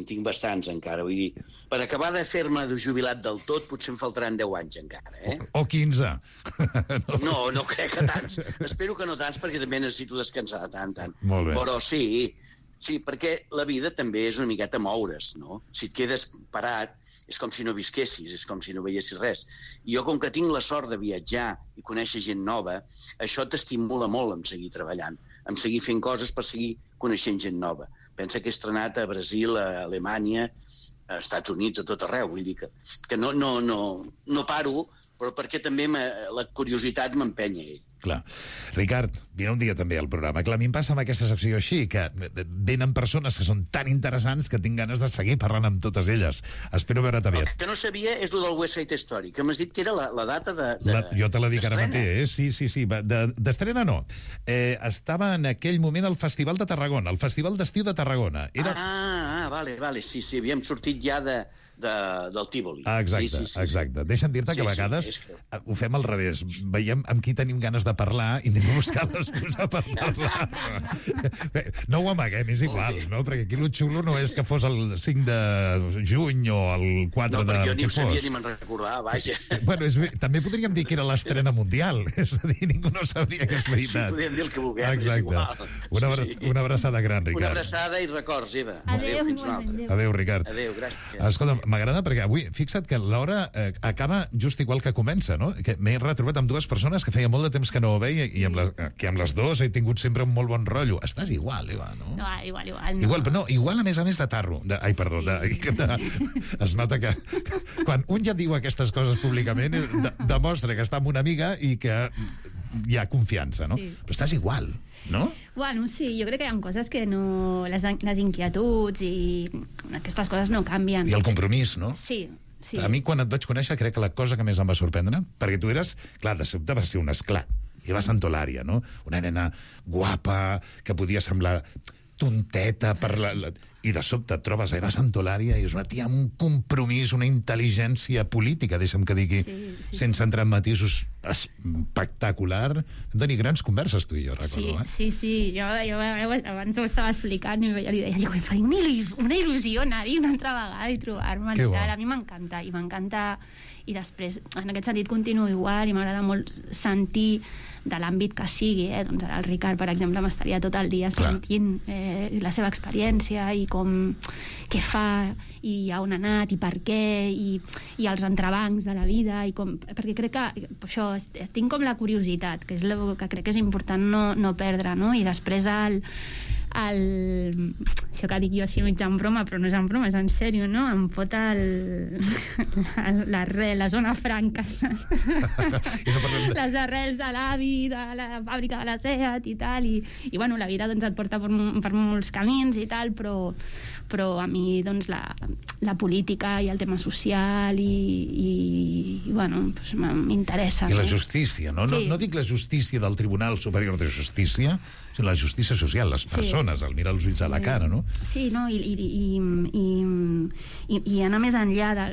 encara. Vull dir, per acabar de fer-me de jubilat del tot, potser em faltaran 10 anys encara, eh? O 15. No crec que tants. Espero que no tants, perquè també necessito descansar tant. Molt bé. Però sí, perquè la vida també és una miqueta moure's, no? Si et quedes parat, és com si no visquessis, és com si no veiessis res. I jo, com que tinc la sort de viatjar i conèixer gent nova, això t'estimula molt en seguir treballant, en seguir fent coses per seguir coneixent gent nova. Pensa que he estrenat a Brasil, a Alemanya, a Estats Units, a tot arreu. Vull dir que no paro, però perquè també la curiositat m'empenya ell. Clar. Ricard, vine un dia també al programa. Clar, a mi em passa amb aquesta secció així, que venen persones que són tan interessants que tinc ganes de seguir parlant amb totes elles. Espero veure't aviat. El que no sabia és el del West Side Story, que m'has dit que era la data de jo te la dic ara mateix, Sí. D'estrena no. Estava en aquell moment al Festival de Tarragona, el Festival d'Estiu de Tarragona. Vale. Sí, havíem sortit ja del Tívoli. Exacte. Deixa'm dir-te que a vegades ho fem al revés. Veiem amb qui tenim ganes de parlar i anem a buscar l'excusa per parlar. No ho amaguem, és igual, no? Perquè aquí el xulo no és que fos el 5 de juny o el 4 de... No, perquè jo ni ho sabia ni me'n recordava, vaja. Bueno, també podríem dir que era l'estrena mundial, és a dir, ningú no sabria que és veritat. Sí, podríem dir el que vulguem, és igual. Una abraçada gran, Ricard. Una abraçada i records, Eva. Adéu, fins una altra. Adéu, Ricard. Adéu, gràcies. Escolta, m'agrada perquè avui, fixa't que l'hora acaba just igual que comença, no? Que m'he retrobat amb dues persones que feia molt de temps que no ho veia i que amb les dues he tingut sempre un molt bon rotllo. Estàs igual, Eva, no? No, igual. Igual a més de tarro. Es nota que quan un ja diu aquestes coses públicament demostra que està amb una amiga i que hi ha confiança, no? Sí. Però estàs igual, no? Bueno, sí, jo crec que hi ha coses que no... Les inquietuds i aquestes coses no canvien. I el compromís, no? Sí. A mi, quan et vaig conèixer, crec que la cosa que més em va sorprendre, perquè tu eres... Clar, de sobte vas ser un esclat. Eva Santolària, no? Una nena guapa, que podia semblar tonteta per i de sobte et trobes a Eva Santolària i és una tia amb un compromís, una intel·ligència política, deixa'm que digui, sense entrar en matisos espectacular. Hem tenir grans converses, tu i jo, recordo. Sí. Jo abans ho estava explicant i jo li deia, em faria una il·lusió anar-hi una altra vegada i trobar-me i tal. A mi m'encanta, i després, en aquest sentit, continuo igual i m'agrada molt sentir de l'àmbit que sigui, doncs ara el Ricard, per exemple, m'estaria tot el dia sentint la seva experiència i què fa i on ha anat i per què i els entrebancs de la vida perquè crec que això, tinc com la curiositat, que és el que crec que és important no perdre, no? I després això que dic jo així mig en broma, però no és en broma, és en sèrio, no? Em fot la zona franca, les arrels de l'avi, de la fàbrica de la Seat i tal, i bueno, la vida doncs et porta per molts camins i tal, però a mi doncs la política i el tema social i bueno, doncs m'interessa. I la justícia, no? Sí. No dic la justícia del Tribunal Superior de Justícia, sinó la justícia social, les persones, al mirar els ulls a la cara, no? Sí, no? I anar més enllà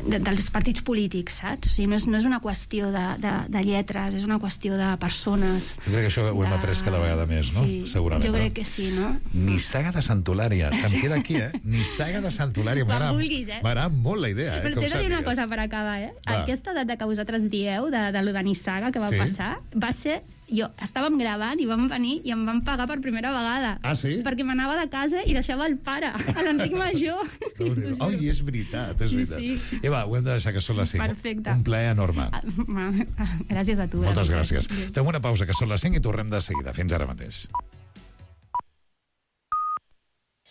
dels partits polítics, saps? O sigui, no és una qüestió de lletres, és una qüestió de persones. Jo crec que això ho hem après cada vegada més, no? Sí, segurament. Jo crec que sí, no? Nissaga de Santolària, se'm queda aquí, Nissaga de Santolària, m'agrada molt la idea, Però t'he de dir una cosa per acabar, Aquesta data que vosaltres dieu de lo de Nissaga que va passar, va ser... Estàvem gravant i vam venir i em van pagar per primera vegada. Ah, sí? Perquè m'anava de casa i deixava el pare, l'Enric Major. Ai, és veritat, és veritat. Sí. Eva, ho hem de deixar que són les 5. Perfecte. Un plaer enorme. Gràcies a tu. Moltes gràcies. Fem una pausa, que són les 5 i tornem de seguida. Fins ara mateix.